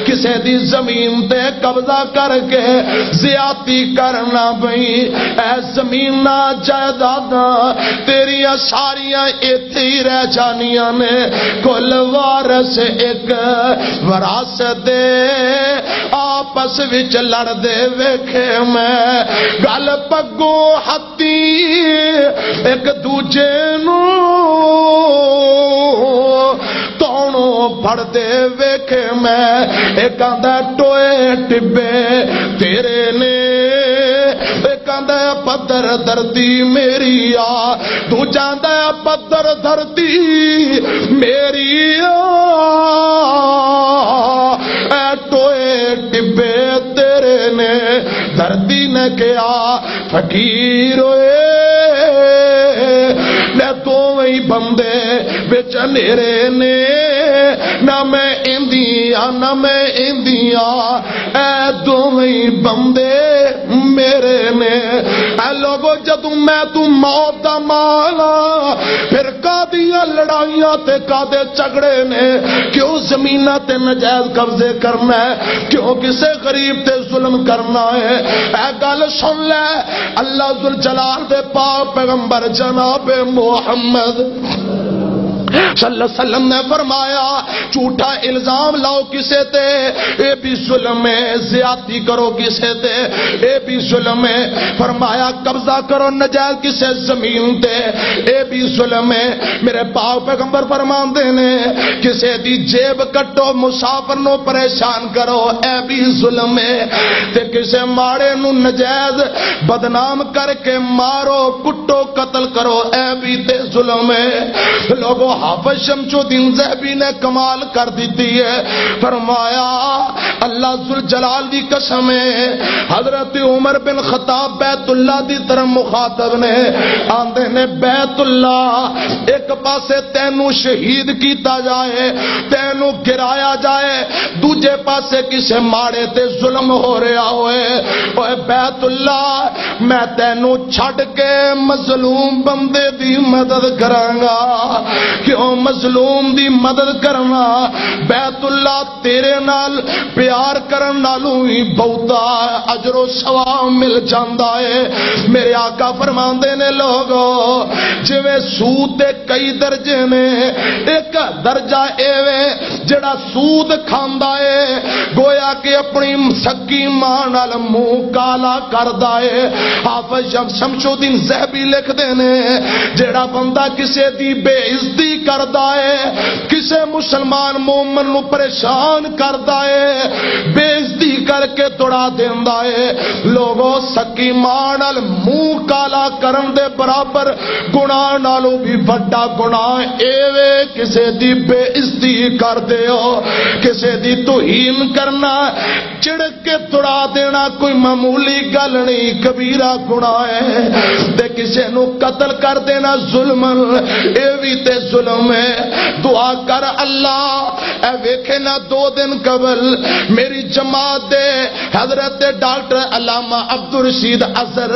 کسے دی زمین تے قبضہ کر کے زیادتی کر نہ بئی۔ اے زمیناں جائیداداں تیریاں ساریاں ایتھے ہی رہ جانیاں نے۔ کل وارث ایک وراثت دے آپس وچ لڑدے ویکھے میں۔ گل پگوں ہتھی ایک دوجے نوں تونوں پھڑدے ویکھے میں۔ ایک آندا ٹوئے ٹبے تیرے نے، ایک آندا پدر دھرتی میری آ، دوجا آندا پدر دھرتی میری آ۔ اے ٹوئے ٹبے تیرے نے، دھرتی نے کہیا، فقیر ہوئے، میں دو دے وچ ہنیرے نے، نہ میں ایندی آ، نہ میں ایندی آ، اے دوویں بندے میرے نے۔ اے لوگو، جدوں میں توں موت دا مالا، پھر کادیاں لڑائیاں تے کادے جھگڑے نے، کیوں زمیناں تے نجائز قبضے کرنا ہے، کیوں کسے غریب تے ظلم کرنا ہے۔ اے گل سن لے، اللہ ذوالجلال دے پاک پیغمبر جناب محمد صلی اللہ علیہ وسلم نے فرمایا، جھوٹا الزام لاؤ کسے تے، اے بھی ظلم ہے، زیادتی کرو کسے تے، اے بھی ظلم ہے۔ فرمایا، قبضہ کرو نجائز کسے زمین تے، اے بھی ظلم ہے۔ میرے پاک پیغمبر فرماندے نے، کسے دی جیب کٹو، مسافر نو پریشان کرو، اے بھی ظلم ہے۔ تے کسے ماڑے نو نجائز بدنام کر کے مارو، کٹو، قتل کرو، اے بھی تے ظلم ہے۔ لوگو، حافظ شمس الدین ذہبی نے کمال کر دیتی ہے۔ فرمایا، اللہ ذوالجلال دی قسم ہے، حضرت عمر بن خطاب بیت اللہ دی طرف مخاطب نے، آندے نے، بیت اللہ، ایک پاسے تینوں شہید کیتا جائے، تینوں گرایا جائے، دوجے پاسے کسے ماڑے تے ظلم ہو رہا ہوئے، اوے بیت اللہ، میں تینوں چھڈ کے مظلوم بندے دی مدد کراں گا۔ کیوں؟ مظلوم دی مدد کرنا، بیت اللہ، تیرے نال پیار کرن نالوں ہی بہتا اجر و ثواب مل جاندا ہے۔ میرے آقا فرماندے نے، لوگو، جویں سود دے کئی درجے نے، ایک درجہ اے وے جڑا سود کھاندا ہے، گویا کہ اپنی سکی ماں نال منہ کالا کردا ہے۔ حافظ شم-، شمس الدین ذہبی لکھدے نے، جڑا بندہ کسے دی بے عزتی کردا ہے، کسے مسلمان مومن نو پریشان کردا ہے، بے عزتی کر کے توڑا دیندا ہے، لوگو، سکی ماں نال منہ کالا کرن دے برابر گناہ نالوں بھی وڈا گناہ اے وے، کسے دی بے عزتی کر دیو، کسے دی توہین کرنا، چڑک کے تڑا دینا کوئی معمولی گل نہیں، کبیرہ گناہ ہے۔ تے کسے نو قتل کر دینا ظلمن، اے وی تے ظلم ہے۔ دعا کر، اللہ، اے ویکھے نہ، دو دن قبل میری جماعت دے حضرت ڈاکٹر علامہ عبدالرشید اظہر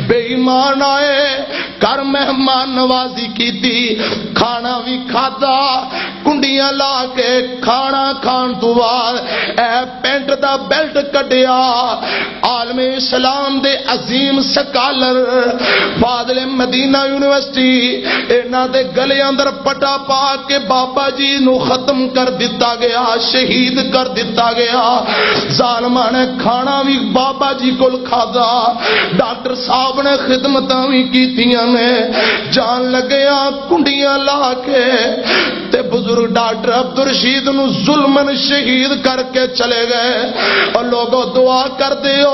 بے ایمان آئے، گھر مہمان نوازی کیتی، کھانا وی کھادا، کنڈیاں لا کے کھانا کھان تو بعد اے پینٹ دا بیلٹ کڈیا۔ عالم اسلام دے عظیم سکالر، فاضل مدینہ یونیورسٹی، انہاں دے گلے اندر پٹا پا کے بابا جی نو ختم کر دتا گیا، شہید کر دتا گیا۔ ظالماں نے کھانا وی بابا جی کول کھادا، ڈاکٹر صاحب نے خدمتاں وی کیتیاں نے۔ جان لگیاں کنڈیاں لا کے تے بزرگ ڈاکٹر عبدالرشید نو ظلمن شہید کر کے چلے گئے۔ اور لوگو، دعا کر دیو،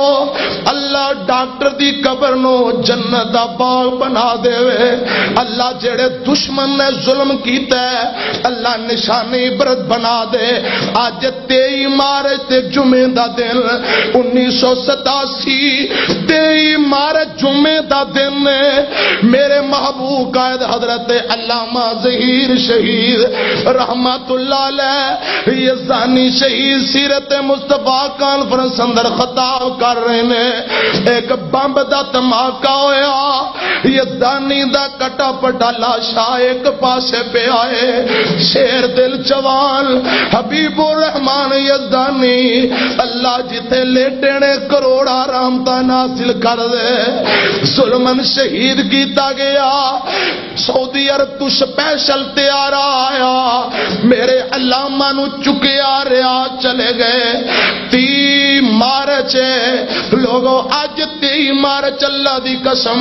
اللہ ڈاکٹر دی قبر نو جنت دا باغ بنا دے۔ اللہ، جڑے دشمن نے ظلم کیتا ہے، اللہ، نشانی عبرت بنا دے۔ اج تئی مارچ تے جمعے دا دن، انیس سو ستاسی، تئی مارچ جمعے دا دن ہے۔ میرے محبوب قائد حضرت علامہ ظہیر شہید رحمت اللہ علیہ یزدانی شہید سیرت مصطفیٰ کانفرنس اندر خطاب کر رہے نے۔ ایک بمب دا دھماکہ ہویا، یزدانی دا کٹا پٹا لاشا ایک پاسے پہ آئے۔ شیر دل جوان حبیب الرحمان یزدانی، اللہ جتے لیٹے نے کروڑا رحمتاں نازل کر دے۔ ظلمن شہید کیتا گیا۔ سعودی عرب تو سپیشل طیارہ آیا، میرے علامہ نو چکیا رہا، چلے گئے۔ تی مارچ ہے لوگو، اج تی مارچ، اللہ دی قسم،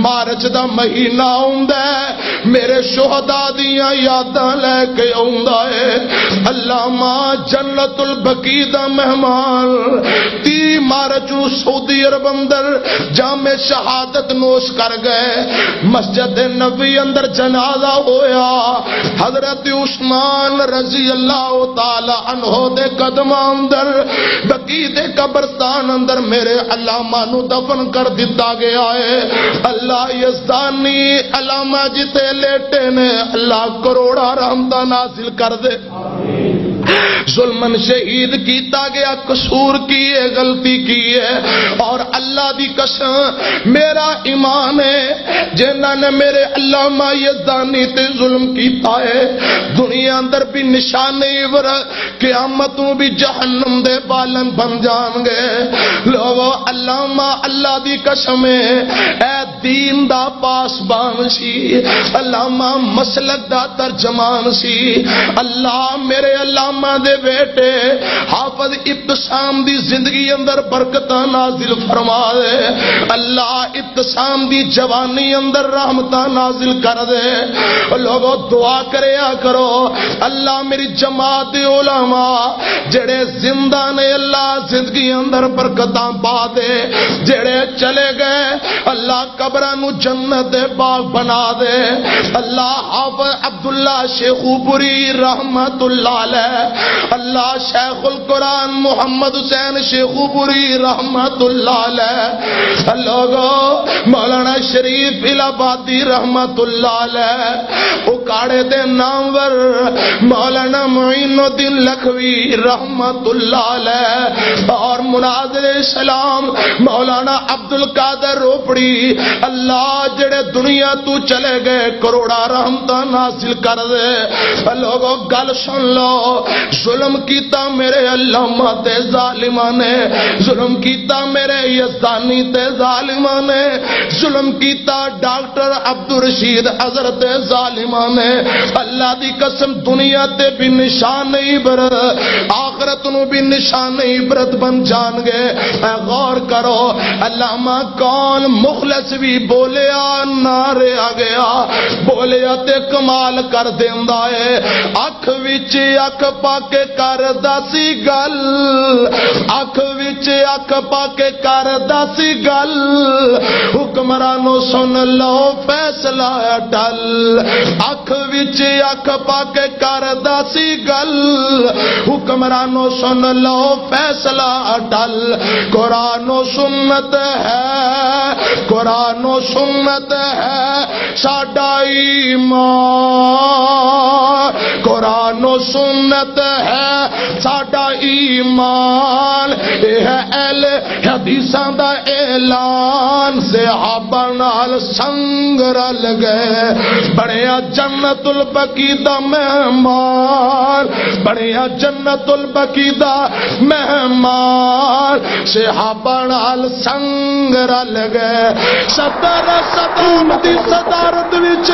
مارچ دا مہینہ ہوندا ہے، میرے شہداء دیاں یاداں لے کے آوندا ہے۔ علامہ جنت البقیع دا مہمان تی مارچ نو سعودی عرب اندر جام شہادت نوش کر گئے۔ مسجد نبوی اندر جنازہ ہویا، حضرت عثمان رضی اللہ تعالی عنہ دے قدماں اندر، بقیع دے قبرستان اندر میرے علامہ نو دفن کر دتا گیا ہے۔ اللہ یزدانی علامہ جتے لیٹے نے، اللہ کروڑا رحمتاں نازل کر دے۔ ظلمن شہید کیتا گیا، قصور کی ہے، غلطی کی ہے، اور اللہ دی قسم، میرا ایمان ہے، جنہاں نے میرے علامہ یزدانی تے ظلم کیتا ہے، دنیا اندر بھی نشان عبرت، قیامت نوں بھی جہنم دے بالن بن جان گے۔ لوگو، علامہ اللہ دی قسم ہے، اے دین دا پاسبان سی، علامہ مسلک دا ترجمان سی۔ اللہ میرے علامہ دے بیٹے حافظ ابتسام دی زندگی اندر برکتاں نازل فرما دے۔ اللہ ابتسام دی جوانی اندر رحمتاں نازل کر دے۔ لوگو، دعا کریا کرو، اللہ میری جماعت دے علماء جڑے زندہ نے، اللہ زندگی اندر برکتاں پا دے، جڑے چلے گئے، اللہ قبراں نو جنت دے باغ بنا دے۔ اللہ حافظ عبداللہ شیخو پوری رحمت اللہ علیہ، اللہ شیخ القرآن محمد حسین شیخو پوری رحمت اللہ علیہ، لوگو، مولانا شریف الہ آبادی رحمت اللہ علیہ، اکاڑے دے نامور مولانا معین الدین لکھوی رحمت اللہ علیہ، اور مناظر اسلام مولانا عبد القادر روپڑی، اللہ جڑے دنیا تو چلے گئے، کروڑا رحمتاں نازل کر دے۔ لوگو، گل سن لو، ظلم کیتا میرے علامہ تے ظالماں نے، ظلم کیتا میرے یزدانی تے ظالماں نے، ظلم کیتا ڈاکٹر عبدالرشید اظہر تے ظالماں نے۔ اللہ دی قسم، دنیا تے بھی نشان عبرت، آخرت نو بھی نشان عبرت بن جان گے۔ اے غور کرو، علامہ کون مخلص بھی بولیا نہ رہ گیا، بولیا تے کمال کر دیندا ہے۔ اکھ وچ اکھ پا کے کردا سی گل، اکھ وچ اکھ پا کے کردا سی گل، حکمرانوں سن لو فیصلہ ٹل۔ اکھ وچ اکھ پا کے کردا سی گل، حکمرانوں سن لو فیصلہ ٹل۔ قرآن و سنت ہے، قرآن و سنت ہے ساڈا ایمان، قرآن و سنت ہے ساڈا ایمان۔ اے ہے اہل حدیثاں دا اعلان، صحابہ نال سنگ رل گئے، بنیا جنت البقیع دا مہمان، بنیا جنت البقیع دا مہمان، صحابہ نال سنگ رل گئے۔ صدر صدام دی صدارت وچ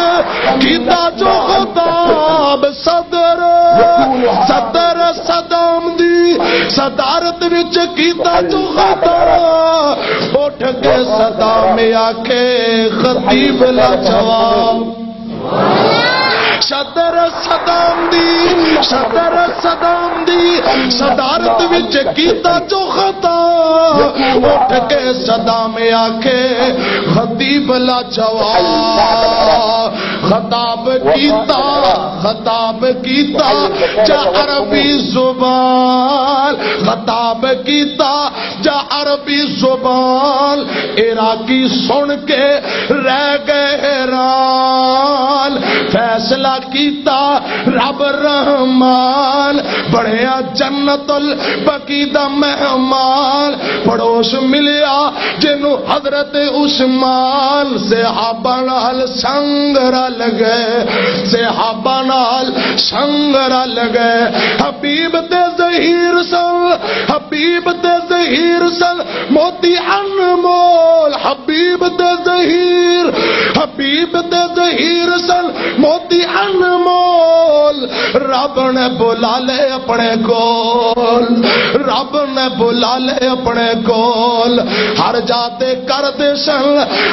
کیتا جو خطاب، صدر، صدر صدام دی صدارت وچ کیتا جو خطاب، اٹھ کے صدام آکھے خطیب لاجواب۔ صدر صدام دی، صدر صدام دی صدارت وچ کیتا جو خطا، اٹھ کے صدام آکھے خطیب لاجواب۔ خطاب کیتا، خطاب کیتا جا عربی زبان، خطاب کیتا جا عربی زبان، عراقی سن کے رہ گئے حیران۔ فیصلہ کیتا رب رحمان، بنیا جنت البقیع دا مہمان۔ پڑوس ملیا جنوں حضرت عثمان، صحابہ نال سنگ رل گئے، صحابہ نال سنگ رل گئے۔ حبیب تے ظہیر سن، حبیب تے ظہیر سن موتی انمول، حبیب تے ظہیر، حبیب تے ظہیر سن موتی انمول۔ رب نے بلا لے اپنے کول، رب نے بلا لے اپنے کول۔ ہر جاتے کر دے سن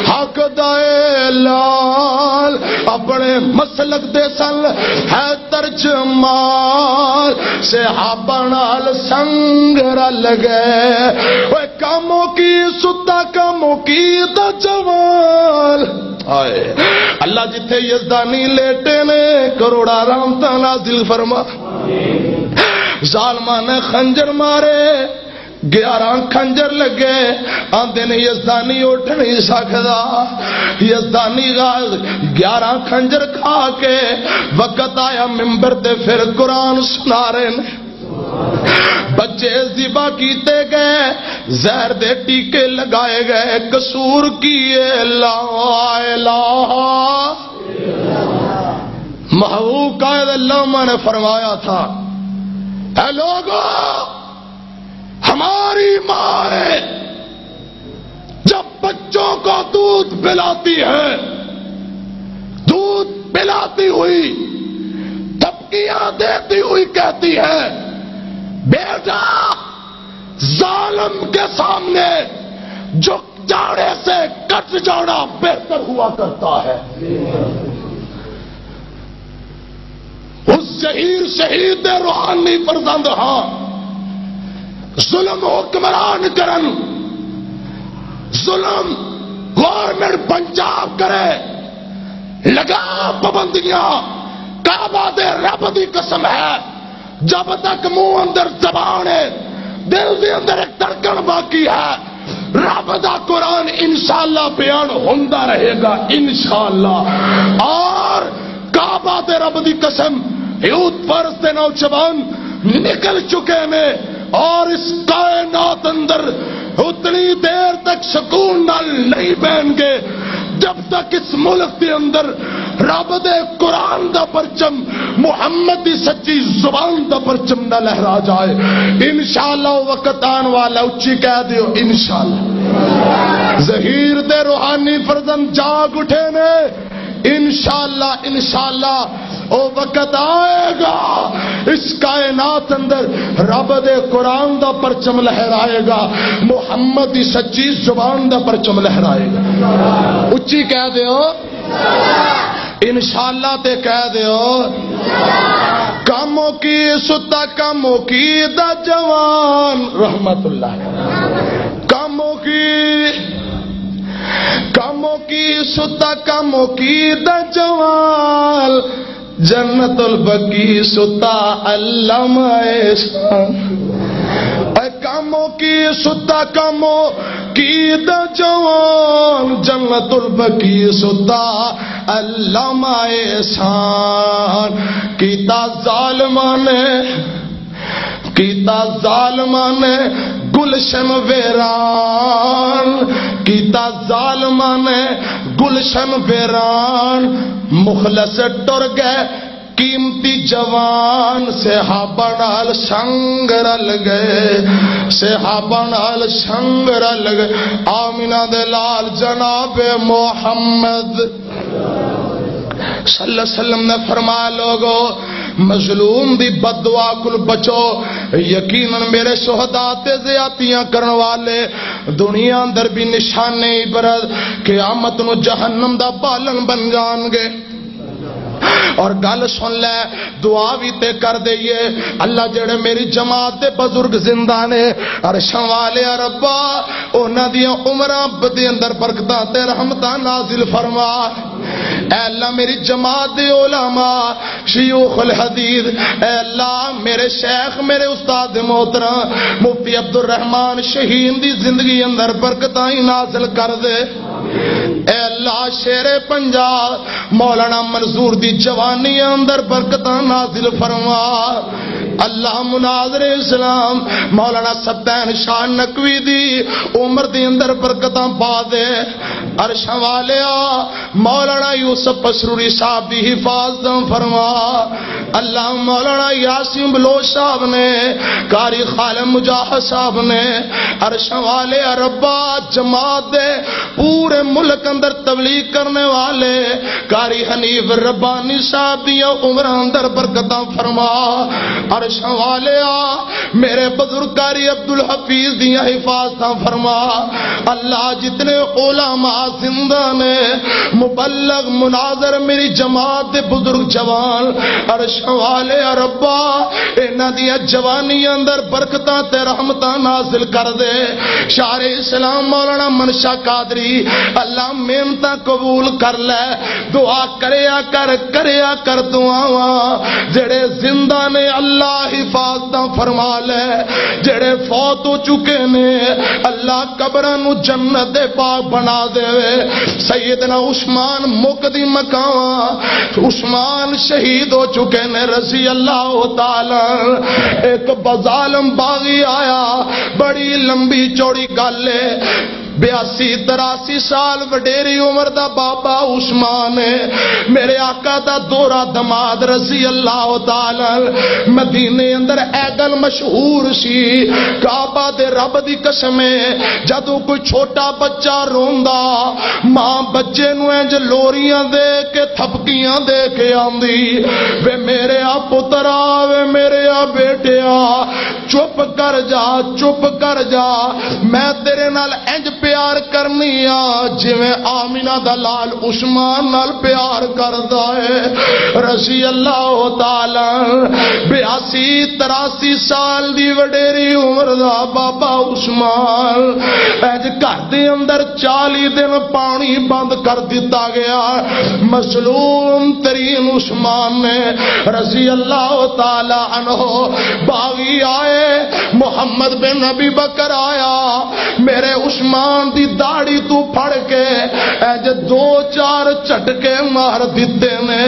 حق دا اعلان، اپنے مسلک دے سن ہے ترجمان۔ صحابہ نال سنگ رل گئے، اوے کاموں کی ستا، کاموں کی دا جوان۔ آئے۔ اللہ جتھے یزدانی لیٹے نے، کروڑا رحمتاں نازل فرما۔ ظالماں نے خنجر مارے، گیارہ خنجر لگے، آندے نے یزدانی اٹھ نہیں سکدا۔ یزدانی غاز گیارہ خنجر کھا کے وقت آیا ممبر تے پھر قرآن سنا رہے نے۔ بچے ذبح کیتے گئے، زہر دے ٹیکے لگائے گئے، قصور کیے؟ لا الہ۔ محبوب قائد اللہ نے فرمایا تھا، اے لوگو، ہماری ماں ہے، جب بچوں کو دودھ پلاتی ہے، دودھ پلاتی ہوئی دھمکیاں دیتی ہوئی کہتی ہے، بیٹا، ظالم کے سامنے جھک جانے سے کٹ جانا بہتر ہوا کرتا ہے۔ اس ظہیر شہید دے روحانی فرزند ہاں، ظلم حکمران کرن، ظلم گورنمنٹ پنجاب کرے، لگا پابندیاں، کعبہ دے رب دی قسم ہے، جب تک منہ اندر زبان ہے، دل دے اندر ایک دھڑکن باقی ہے، رب دا قرآن انشاءاللہ بیان ہوندا رہے گا، انشاءاللہ۔ اور کعبہ دے رب دی قسم، یہود فارس دے نوجوان نکل چکے نے اور اس کائنات اندر اتنی دیر تک سکون نال نہیں بہن گے جب تک اس ملک دے اندر رب دے قرآن دا پرچم، محمد دی سچی زبان دا پرچم نہ لہرا جائے۔ انشاءاللہ وہ وقت آن والا، اچھی کہہ دیو، انشاءاللہ۔ ظہیر دے روحانی فرزند جاگ اٹھے نے۔ انشاءاللہ، انشاءاللہ، او وقت آئے گا، اس کائنات اندر رب دے قرآن دا پرچم لہرائے گا، محمد دی سچی زبان دا پرچم لہرائے گا۔ اچھی کہہ دیو، انشاءاللہ تے کہہ دیو۔ کاموں کی ستا، کاموں کی دا جوان، رحمت اللہ۔ کاموں کی، کاموں کی ستا، کاموں کی دا جوان، جنت البقیع ستا، علامہ احسان۔ اے کاموں کی ستا، کاموں کی دا جوان، جنت البقیع ستا، علامہ احسان۔ کیتا ظالماں نے، کیتا ظالماں نے گلشن ویران، کیتا ظالماں نے گلشن ویران، مخلص ٹر گئے قیمتی جوان، صحابہ نال سنگ رل گئے، صحابہ نال سنگ رل گئے۔ آمینہ دے لال جناب محمد صلی اللہ علیہ وسلم نے فرمایا، لوگو، مظلوم دی بد دعا کول بچو۔ یقیناً میرے شہداء تے زیادتیاں کرن والے دنیا اندر بھی نشانے عبرت، قیامت نو جہنم دا بالن بن جان گے۔ اور گل سن لے، دعا بھی تے کر دئیے۔ اللہ، جڑے میری جماعت دے بزرگ زندہ نے، عرشاں والے ربا، انہاں دیاں عمراں دے اندر برکتاں تے رحمتاں نازل فرما۔ اے اللہ، میری جماعت دے علماء، شیوخ الحدیث، اے اللہ، میرے شیخ، میرے استاد محترم مفتی عبدالرحمان شہین دی زندگی اندر برکتاں ہی نازل کر دے۔ اے اللہ، شیر پنجاب مولانا منظور دی جوانی اندر برکتاں نازل فرما۔ اللہ، مناظر اسلام مولانا سبین شاہ نقوی دی عمر دی اندر برکتاں پا دے۔ عرشاں والیا، مولانا یوسف پسروری صاحب دی حفاظت فرما۔ اللہ، مولانا یاسین بلوچ صاحب نے، قاری خالد مجاہد صاحب نے، عرشاں والے ربا، جماعت دے پورے ملک اندر تبلیغ کرنے والے قاری حنیف ربانی صاحب دیاں عمراں اندر برکتاں فرما۔ عرشاں والیا، میرے بزرگ قاری عبدالحفیظ دیاں حفاظتاں فرما۔ اللہ، جتنے علماء زندہ نے، مبلغ، مناظر، میری جماعت دے بزرگ جوان، عرش والے ربا، انہاں دیاں جوانی اندر برکتاں تے رحمتاں نازل کر دے۔ شاعر اسلام مولانا منشا قادری، اللہ محنتاں قبول کر لے۔ دعا کریا کر، کریا کر دعاواں۔ جڑے زندہ نے اللہ حفاظتاں فرما لے، جڑے فوت ہو چکے نے اللہ قبراں نو جنت دے باغ بنا دے۔ سیدنا عثمان مک دی مکاواں، عثمان شہید ہو چکے نے رضی اللہ تعالی عنہ۔ ایک بظالم باغی آیا، بڑی لمبی چوڑی گل ہے، بیاسی تراسی سال وڈیری عمر دا بابا عثمان ہے۔ میرے آقا دا دورہ دماد رضی اللہ تعالی عنہ، مدینے اندر ایگل مشہور سی۔ کعبہ دے رب دی قسم ہے، جدوں کوئی چھوٹا بچہ روندا، ماں بچے نوں انج لوریاں دے کے، تھپکیاں دے کے آندی، "وے میرے آ پترا، وے میرے آ بیٹیا، چپ کر جا، چپ کر جا، میں تیرے نال انج پیار کرنی آ جویں آمینہ دا لال عثمان نال پیار کردا ہے۔" رضی اللہ تعالی عنہ، بیاسی تراسی سال دی وڈیری عمر دا بابا عثمان، اج گھر دے اندر چالی دن پانی بند کر دتا گیا۔ مظلوم ترین عثمان نے رضی اللہ تعالی عنہ، باغی آئے، محمد بن ابی بکر آیا، میرے عثمان دی داڑھی تو پھڑ کے اج دو چار جھٹکے مار دتے نے۔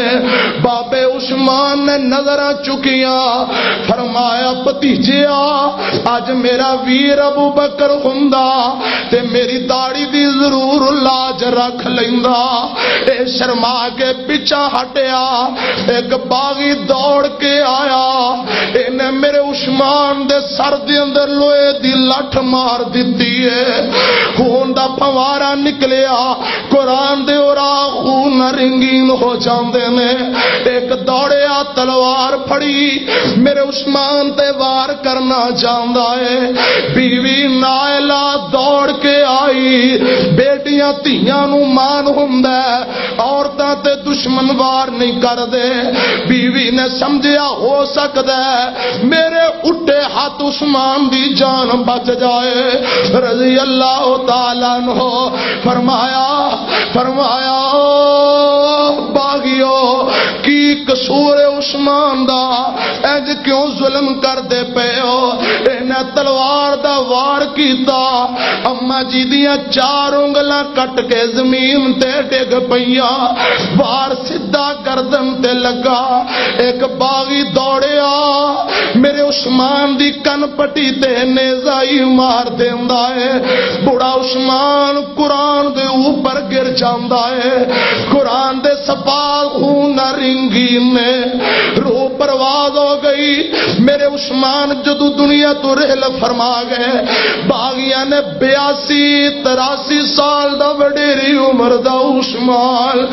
بابے عثمان نے نظراں چکیاں، فرمایا، "بھتیجیا، اج میرا ویر ابو بکر ہوندا تے میری داڑھی دی ضرور لاج رکھ لیندا۔" اے شرما کے پیچھا ہٹیا۔ ایک باغی دوڑ کے آیا، انہیں میرے عثمان دے سر دے اندر لوہے دی لٹھ مار دتی ہے۔ خون دا پھوارا نکلیا۔ قرآن دے اوراق خون نال رنگین ہو جاندے نے۔ ایک دوڑیا، تلوار پھڑی، میرے عثمان تے وار کرنا چاہندا ہے۔ بیوی نائلہ دوڑ کے آئی۔ بیٹیاں دھیاں نوں مان ہوندا ہے، عورتاں تے دشمن وار نہیں کردے۔ بیوی نے سمجھیا ہو سکدا ہے میرے اٹھے ہاتھ عثمان دی جان بچ جائے۔ رضی اللہ تعالیٰ عنہ فرمایا، فرمایا، "او باغیو، کی قصور ہے عثمان دا؟ انج کیوں ظلم کردے پئے ہو؟" انہاں تلوار دا وار کیتا، اما جی دیاں چار انگلاں کٹ کے زمین تے ڈگ پئیاں۔ وار سدھا گردن تے لگا۔ ایک باغی دوڑیا، میرے عثمان دی کن پٹی تے نیزہ ہی مار دیندا ہے۔ بڑا عثمان قرآن دے اوپر گر جاندا ہے۔ قرآن دے سپاہ خون نال رنگین نے۔ روح پرواز ہو گئی۔ میرے عثمان جدوں دنیا تو رحل فرما گئے، باغیاں نے بیاسی تراسی سال دا وڈیری عمر دا عثمان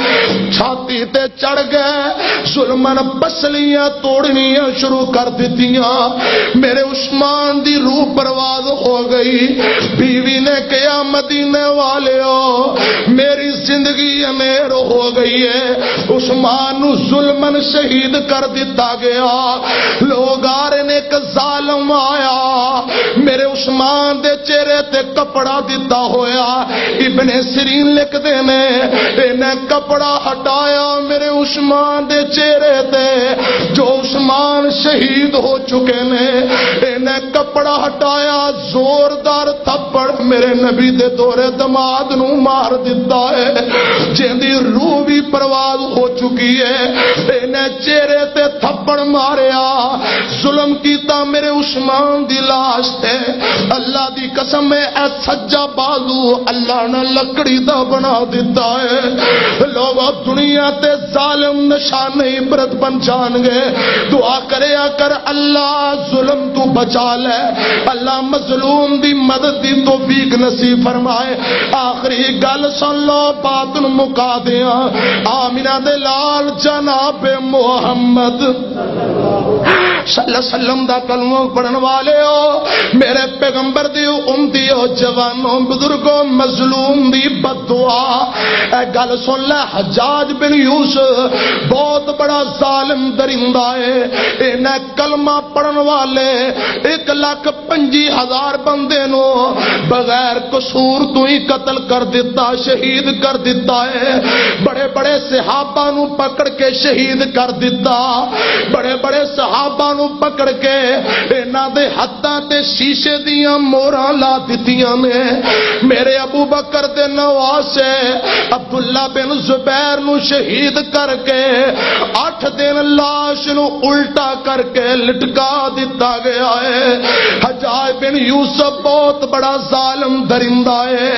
چھاتی تے چڑھ گئے، ظلمن پسلیاں توڑنیاں شروع کر دتیاں۔ میرے عثمان دی روح پرواز ہو گئی۔ بیوی نے کہا، "مدینے والیو، میری زندگی امیر ہو گئی ہے۔" عثمان نو ظلمن شہید کر دتا گیا۔ لوگ آ رہے نے، ایک ظالم آیا، میرے عثمان دے چہرے تے کپڑا دتا ہویا۔ ابن سیرین لکھدے نے، انہیں کپڑا ہٹایا میرے عثمان دے چہرے تے، جو عثمان شہید ہو چکے نے۔ انہیں کپڑا ہٹایا، زوردار تھپڑ میرے نبی دے دورے دماد نو مار دتا ہے، جیندی روح بھی پرواز ہو چکی ہے۔ انہیں چہرے تے تھپڑ ماریا، ظلم کیتا میرے عثمان دی لاش تے۔ اللہ دی قسم ہے، اے سجا بازو اللہ نے لکڑی دا بنا دتا ہے۔ لوگو، دنیا تے ظالم نشان عبرت بن جان گے۔ دعا کریا کر، اللہ ظلم تو بچا لے، اللہ مظلوم دی مدد دی توفیق نصیب فرمائے۔ آخری گل سن لو، بات نو مکا دیاں۔ آمینہ دے لال جناب محمد صلی اللہ علیہ وسلم دا کلمہ پڑھن والے ہو، میرے پیغمبر دی امتی ہو، جوانوں، بزرگوں، مظلوم دی بد دعا۔ اے گل سن لے، حجاج بن یوسف بہت بڑا ظالم درندہ ہے۔ انہیں کلمہ پڑھن والے ایک لاکھ پنجی ہزار بندے نو بغیر قصور تو ہی قتل کر دتا، شہید کر دتا ہے۔ بڑے بڑے صحابہ نو پکڑ کے شہید کر دتا، بڑے بڑے صحابہ نو پکڑ کے انہاں دے ہتھاں تے شیشے دیاں موہراں لا دتیاں نے۔ میرے ابو بکر دے نواز سے عبداللہ بن زبیر نو شہید کر کے اٹھ دن لاش نو الٹا کر کے لٹکا دتا گیا ہے۔ حجاج بن یوسف بہت بڑا ظالم درندہ ہے۔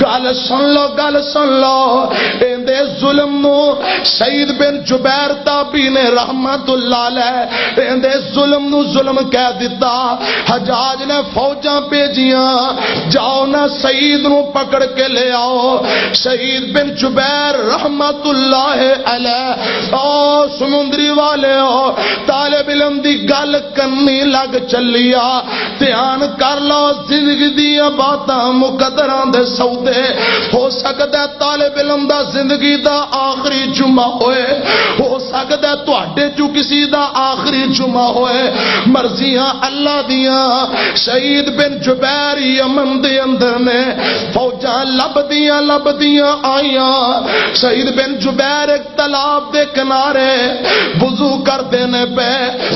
گل سن لو، گل سن لو، ایندے ظلم نو سعید بن جبیر تابعی نے رحمت اللہ علیہ، ایندے ظلم نو ظلم کہہ دتا۔ حجاج نے فوجاں بھیجیاں، "جاؤ نہ سعید نو پکڑ کے لے آؤ۔" سعید بن جبیر رحمت اللہ علیہ، او سمندری والے ہو، طالب علم دی گل کنی لگ چلیا۔ دھیان کر لو، زندگی دیاں باتاں، مقدراں دے سودے۔ ہو سکدا ہے طالب علم دا زندگی دا آخری جمعہ ہوئے، ہو سکدا ہے تہاڈے چوں کسی دا آخری جمعہ ہوئے۔ مرضیاں اللہ دیاں۔ سعید بن جبیر یمن دے اندر نے، فوجاں لبدیاں لبدیاں آئیاں۔ سعید بن جبیر ایک تالاب دے کنارے وضو کردے نے پے۔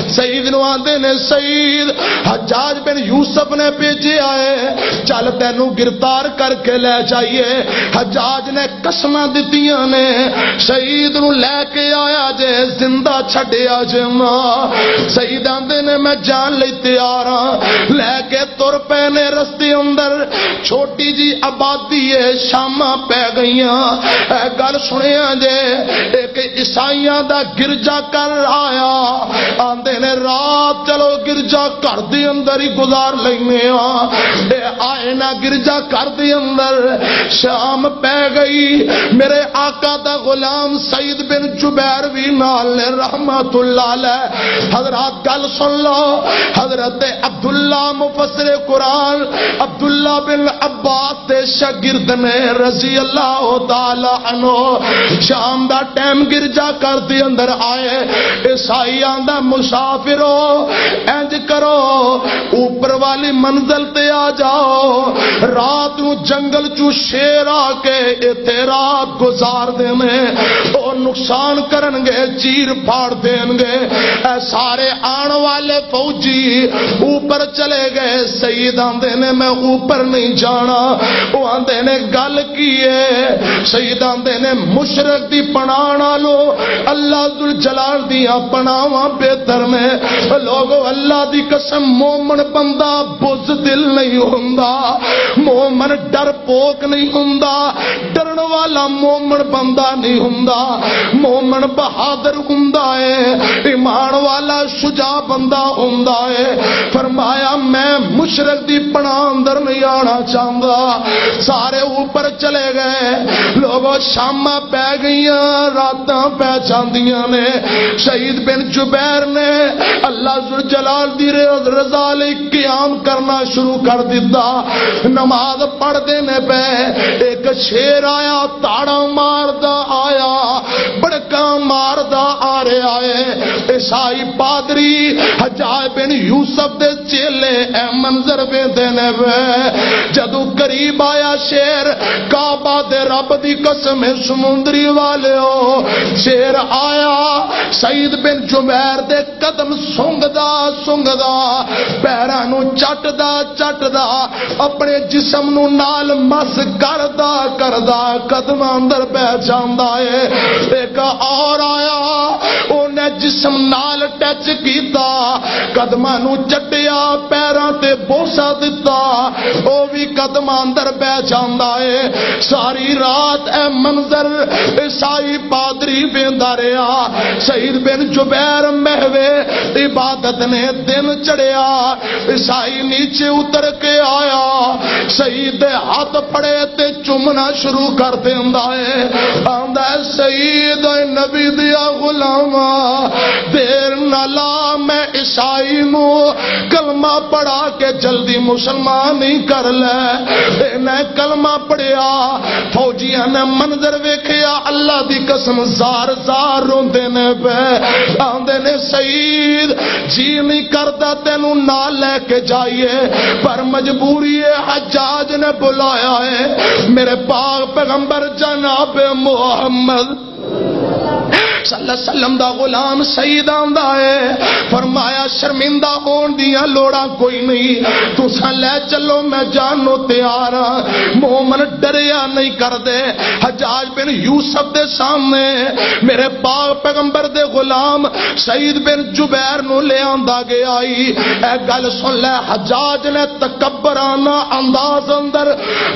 سعید نو آندے نے، "سعید، حجاج بن یوسف نے بھیجے آئے، چل تینوں گرفتار کر کے لے جائیے۔" حجاج نے قسماں دتیاں نے، "سعید نو لے کے آیا جے، زندہ چھڈیا جے ماں۔" سعید آندے نے، "میں جان لئی تیار ہاں۔" لے کے تر پے نے رستے اندر، چھوٹی جی آبادی ہے، شاماں پے گئیاں۔ اے گل سنیا جے، ایک عیسائیاں دا گرجا گھر آیا، آندے نے، "رات چلو گرجا گھر دے اندر ہی گزار لینے ہاں۔" اے آئے نہ گرجا گھر دے اندر، شام پے گئی۔ میرے آقا دا غلام سعید بن جبیر بھی نال نے، رحمت اللہ علیہ۔ حضرات، گل سن لو، حضرت عبداللہ مفسر قرآن، عبداللہ بن عباس دے شاگرد نے، رضی اللہ تعالی عنہ۔ شام دا ٹائم گرجا گھر دے اندر آئے، عیسائی آندا، "مسافرو، انج کرو، اوپر والی منزل تے آ جاؤ، رات نو جنگل چوں شیر آ کے ایتھے رات گزار دینے، او نقصان کرن گے، چیر پھاڑ دین گے۔" اے سارے آن والے فوجی اوپر چلے گئے۔ سعید آندے نے، "میں اوپر نہیں جانا۔" او آندے نے، "گل کی ہے؟" سعید آندے نے، "مشرک دی پناہ نالوں اللہ ذوالجلال دیاں پناہواں بہتر نے۔" لوگو، اللہ دی قسم، مومن بندہ بزدل نہیں ہوندا، مومن ڈر پوک نہیں ہوندا، ڈرن والا مومن بندہ نہیں ہوندا۔ مومن بہادر ہوندا ہے، ایمان والا شجاع بندہ ہوندا ہے۔ فرمایا، "میں مشرک دی پناہ اندر نہیں آنا چاہندا۔" سارے اوپر چلے گئے۔ لوگو، شاماں پے گئیاں، راتاں پے جاندیاں نے۔ سعید بن جبیر نے اللہ ذوالجلال دی رضا لئی قیام کرنا شروع کر دتا۔ نماز پڑھ دے نے پے، ایک شیر آیا، تاڑا ماردا آیا، بڑکاں ماردا آ رہا ہے۔ عیسائی پادری حجاج بن یوسف دے چیلے اے منظر ویندے نے وے۔ جدوں قریب آیا شیر، کعبہ دے رب دی قسم ہے سمندری والے ہو، شیر آیا، سعید بن جبیر دے قدم سنگدا سنگدا، پیراں نوں چٹدا چٹدا، اپنے جسم نوں نال مس کردا کردا قدماں اندر پہ جاندا ہے۔ ایک اور آیا، اونے جسم نال ٹچ کیتا، قدماں نوں چٹیا، پیراں تے بوسہ دتا، او وی قدماں اندر پہ جاندا ہے۔ ساری رات اے منظر عیسائی پادری ویندا رہیا۔ سعید بن جبیر محوے عبادت نے، دن چڑھیا، عیسائی نیچے اتر کے آیا، سعید دے ہاتھ پڑے تے چومنا شروع کر دیندا ہے۔ آندا ہے، "سعید، اے نبی دیا غلاما، دیر نہ لا، میں عیسائی نو کلمہ پڑھا کے جلدی مسلمان ہی کر لے۔ انہیں کلمہ پڑھیا، فوجیاں نے منظر ویکھیا، اللہ دی قسم زار زار روندے نے پے۔ آندے نے، "سعید، جی نہیں کردا تینوں نال لے کے جائیے، پر مجبوری ہے، حجاج نے بلایا ہے۔" میرے پاک پیغمبر جناب محمد صلی اللہ علیہ وسلم دا غلام سعید آندا ہے۔ فرمایا، "شرمندہ ہون دیاں لوڑاں کوئی نہیں، تساں لے چلو، میں جان نو تیار ہاں۔" مومن ڈریا نہیں کردے۔ حجاج بن یوسف دے سامنے میرے پاک پیغمبر دے غلام سعید بن جبیر نو لے آندا گیا ای۔ اے گل سن لے، حجاج نے تکبرانہ انداز اندر،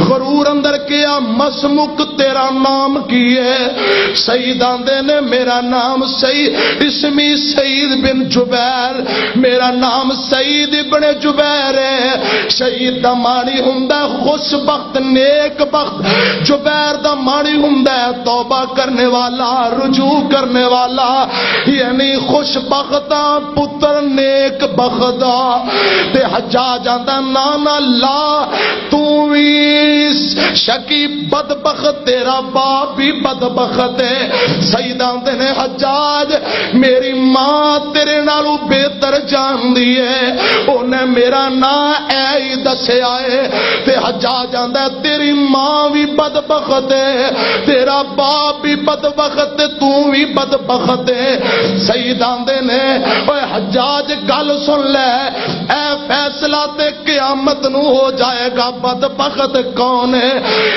غرور اندر کیا، "مسمک، تیرا نام کی ہے؟" سعید آندے نے، "میرا نام سعید، اسمی سعید بن جبیر، میرا نام سعید ابن جبیر ہے۔" سعید دا معنی ہوندا ہے خوش بخت، نیک بخت۔ جبیر دا معنی ہوندا ہے توبہ کرنے والا، رجوع کرنے والا، یعنی خوش بخت آ پتر نیک بخت آ۔ تے حجاج آندا، "نا نا، لا، تو وی شکی بدبخت، تیرا باپ بھی بدبخت ہے۔" سعید آندے نے، "حجاج، میری ماں تیرے نالوں بہتر جاندی ہے، انہیں میرا نام اے ہی دسیا ہے۔" تے حجاج آندا، "تیری ماں بھی بدبخت ہے، تیرا باپ بھی بدبخت، تو بھی بدبخت ہے۔" سعید آندے نے، "اوے حجاج، گل سن لے، اے فیصلہ تے قیامت نو ہو جائے گا، بدبخت کون ہے؟"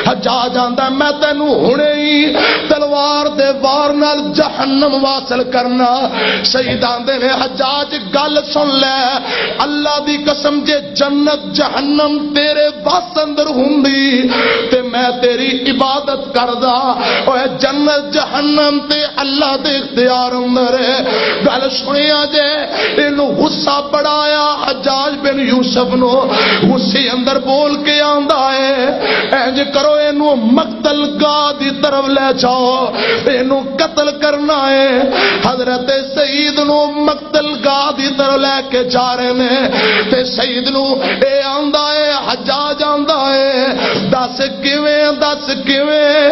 حجاج آندا، "میں تینوں ہنے ہی تلوار دے وار نال جہنم واصل کرنا۔" سعید آندے نے، "حجاج، گل سن لے، اللہ دی قسم، جے جنت جہنم تیرے وس اندر ہوندی تے میں تیری عبادت کردا، اوے جنت جہنم تے اللہ دے اختیار اندر ہے۔" گل سنیا جے، اینو غصہ بڑا آیا حجاج بن یوسف نو۔ غصے اندر بول کے آندا ہے، "انج کرو، اینو مقتل گاہ دی طرف لے جاؤ، اینو قتل کرنا ہے۔" حضرت سعید نو مقتل گاہ دی طرف لے کے جا رہے نے۔ تے سعید نو اے آندا ہے، حجاج آندا ہے، "دس کیویں، دس کیویں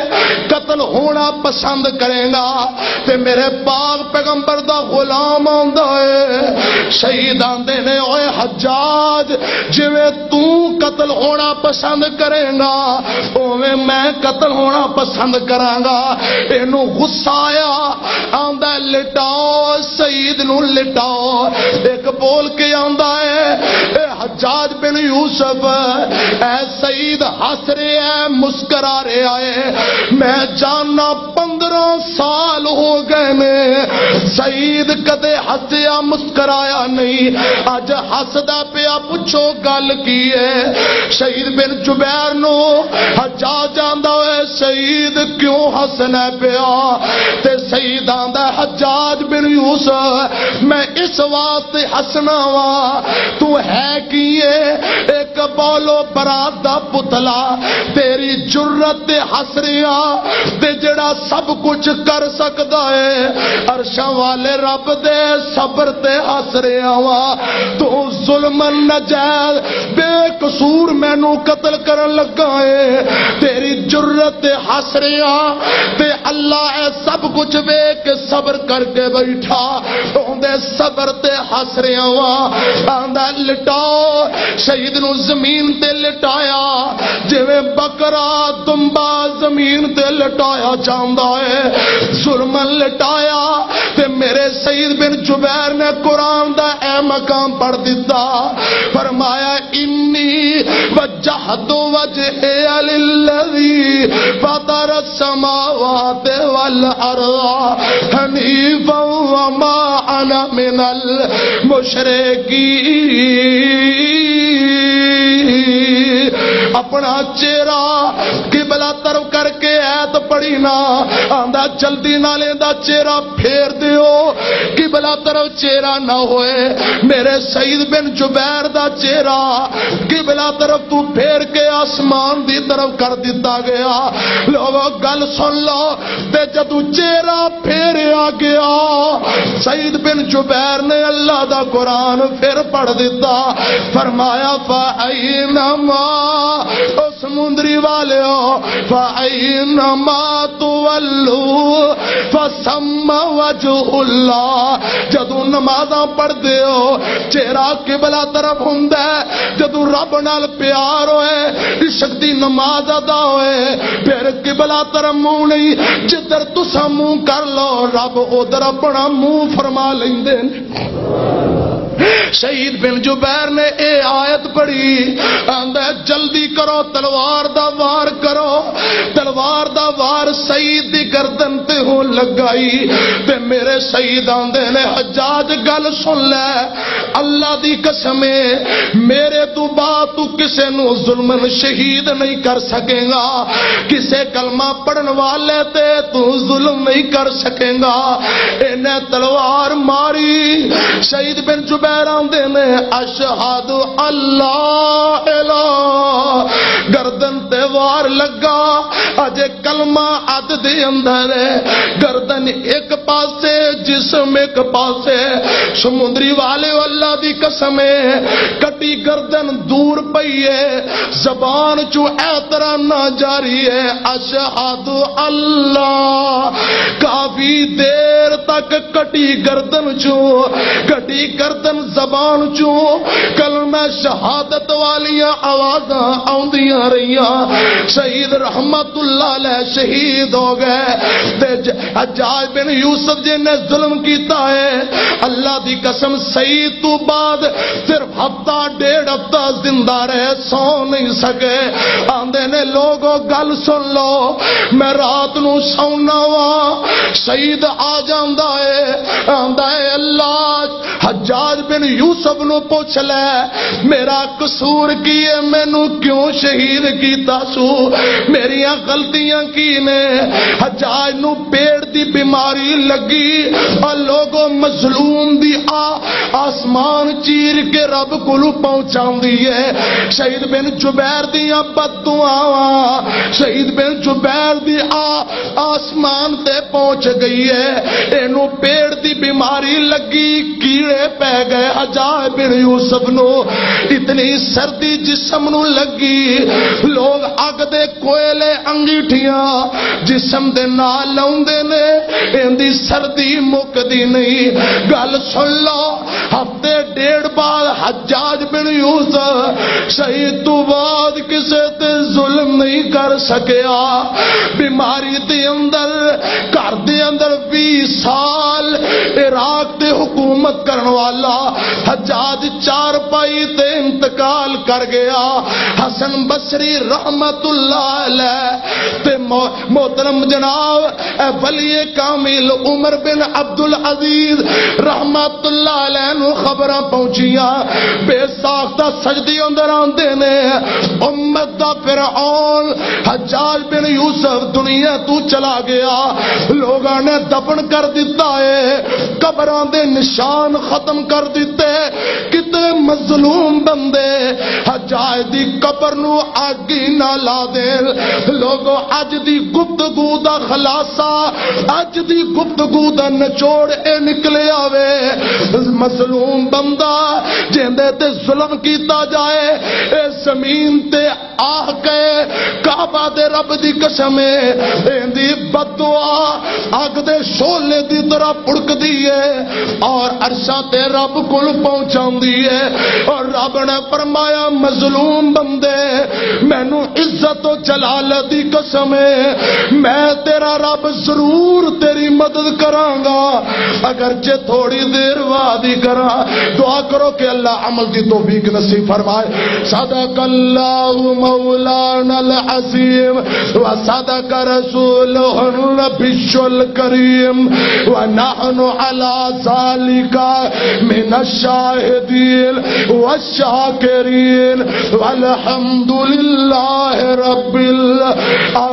قتل ہونا پسند کریں گا؟" تے میرے پاک پیغمبر دا غلام آندا ہے، شہید آندے نے، "اوے حجاج، جویں تو قتل ہونا پسند کریں گا، اوویں میں قتل ہونا پسند کراں گا۔" اینو غصہ آیا، آندا، "لٹاؤ، سعید نو لٹاؤ۔" ایک بول کے آندا ہے، اے حجاج بن یوسف، اے سعید ہس رہے ہیں، مسکرا رہے ہیں، میں جاننا پندرہ سال ہو گئے نے، سعید کدے ہسیا مسکرایا نہیں، اج ہسدا پیا، پوچھو گل کی ہے؟ شہید بن جبیر نو حجاج آندا ہوئے، "سعید کیوں ہسنا پیا؟" تے سعید آندا، "حجاج بن یوسف، میں اس واسطے ہسنا وا، تو ہے کی ہے؟ ایک بولو برات دا پتلا، تیری جرت تے ہس رہیا، تے جڑا سب کچھ کر سکدا ہے، عرشاں والے رب دے صبر تے ہس رہیا وا۔ تو ظلمن نجائز بے قصور مینوں قتل کرن لگا ہے، تیری جرت تے ہس رہیا، تے اللہ اے سب کچھ ویکھ کے صبر کر کے بیٹھا، اوندے صبر تے ہس رہیا وا۔" آندا، لٹاؤ، شہید نو زمین تے لٹایا، جویں بکرا دمبا زمین تے لٹایا جاندا ہے۔ ظلمن لٹایا، تے میرے سعید بن جبیر نے قرآن دا اے مقام پڑھ دتا، فرمایا، "انی وجہت وجہی للذی فطر السماوات والارض حنیفا وما انا من المشرکین۔" اپنا چہرہ قبلہ طرف کر کے آیت پڑھی نا، آندا جلدی نال ایندا چہرہ پھیر دیو، قبلہ طرف چہرہ نہ ہوئے۔ میرے سعید بن جبیر دا چہرہ قبلہ طرف تو پھیر کے آسمان دی طرف کر دتا گیا۔ لوگو، گل سن لو، تے جدوں چہرہ پھیریا گیا، سعید بن جبیر نے اللہ دا قرآن پھر پڑھ دتا۔ فرمایا، فَأَيْنَمَا، او سمندری والیو، فَأَيْنَمَا تُوَلُّوا فَثَمَّ وَجْهُ اللَّهِ۔ جدوں نمازاں پڑھ دیو، چہرہ قبلہ طرف ہوندا ہے۔ جدوں رب نال پیار ہوئے، عشق دی نماز ادا ہوئے، پھر قبلہ طرف منہ نہیں، جدھر تساں منہ کر لو، رب ادھر اپنا منہ فرما لیندے نے۔ شہید بن جبیر نے اے آیت پڑھی، آندا ہے، جلدی کرو، تلوار دا وار کرو۔ تلوار دا وار سعید دی گردن تے ہون لگائی، تے میرے سعید آندے نے، حجاج، گل سن لے، اللہ دی قسم ہے، میرے تو بعد تو کسے نو ظلمن شہید نہیں کر سکے گا، کسے کلمہ پڑھن والے تے تو ظلم نہیں کر سکے گا۔ انہیں تلوار ماری، شہید بن جبیر آندے نے، اشہد اللہ الہ، گردن تے وار لگا، اجے کلمہ اد دے اندر ہے، گردن ایک پاسے، جسم ایک پاسے۔ سمندری والے، اللہ دی قسم ہے، کٹی گردن دور پئی ہے، زبان چوں اے طرح نہ جاری ہے، اشہد اللہ۔ کافی دیر تک کٹی گردن چوں، کٹی گردن زبان چوں کلمہ شہادت والیاں آوازاں آوندیاں رہیاں۔ شہید رحمت اللہ علیہ شہید ہو گئے۔ تے ج-، حجاج بن یوسف جی نے ظلم کیتا ہے، اللہ دی قسم، سعید تو بعد صرف ہفتہ ڈیڑھ ہفتہ زندہ رہے، سو نہیں سکے۔ آندے نے، لوگو، گل سن لو، میں رات نو سونا وا، سعید آ جاندا ہے، آندا ہے، اللہ، حجاج بن یوسف نو پوچھ لے، میرا قصور کی ہے، مینوں کیوں شہید کیتا سو؟ میریاں غلطیاں کی نے؟ حجاج نو پیٹ دی بیماری لگی، اور لوگوں، مظلوم دی آ آسمان چیر کے رب کولوں پہنچاندی ہے۔ شہید بن جبیر دیاں بد دعاواں، شہید بن جبیر دی آ آسمان تے پہنچ گئی ہے۔ اینو پیٹ دی بیماری لگی، کیڑے پے گئے۔ حجاج بن یوسف نو اتنی سردی جسم نو لگی، لوگ اگ دے کوئلے انگیٹھیاں جسم دے نال لاوندے نے، ایندی سردی مکدی نہیں۔ گل سن لو، ہفتے ڈیڑھ بعد حجاج بن یوسف شہید تو بعد کسے تے ظلم نہیں کر سکیا۔ بیماری دے اندر، گھر دے اندر، ویہہ سال عراق تے حکومت کرن والا حجاج چارپائی تے انتقال کر گیا۔ حسن بصری رحمت اللہ علیہ تے مو-، محترم جناب، اے ولی کامل عمر بن عبد العزیز رحمت اللہ علیہ نو خبراں پہنچیاں۔ بے ساختہ سجدی اندر آندے نے، امت دا فرعون حجاج بن یوسف دنیا تو چلا گیا۔ لوگاں نے دفن کر دتا ہے، قبراں دے نشان ختم کر دتے۔ کتنے مظلوم بندے حجاج دی قبر نو اگ ہی نہ لا دین۔ لوگو، اج دی گفتگو دا خلاصہ، اج دی گفتگو دا نچوڑ اے نکلے آوے، مظلوم بندہ جیندے تے ظلم کیتا جائے، اے زمین تے آہ کہے، کعبہ دے رب دی قسم ہے، ایندی بد دعا اگ دے شعلے دی طرح پڑکدی ہے اور عرشاں تے رب کول پہنچاندی ہے۔ اور رب نے فرمایا، مظلوم بندے، مینوں عزت و جلالت دی قسم ہے، میں تیرا رب ضرور تیری مدد کراں گا، اگرچہ تھوڑی دیر بعد ہی کراں۔ دعا کرو کہ اللہ عمل دی توفیق نصیب فرمائے۔ صدق اللہ مولانا العظيم، وصدق رسوله النبي الكريم، ونحن على ذلك من الشاهدين والشاكرين، والحمد لله رب العالمين.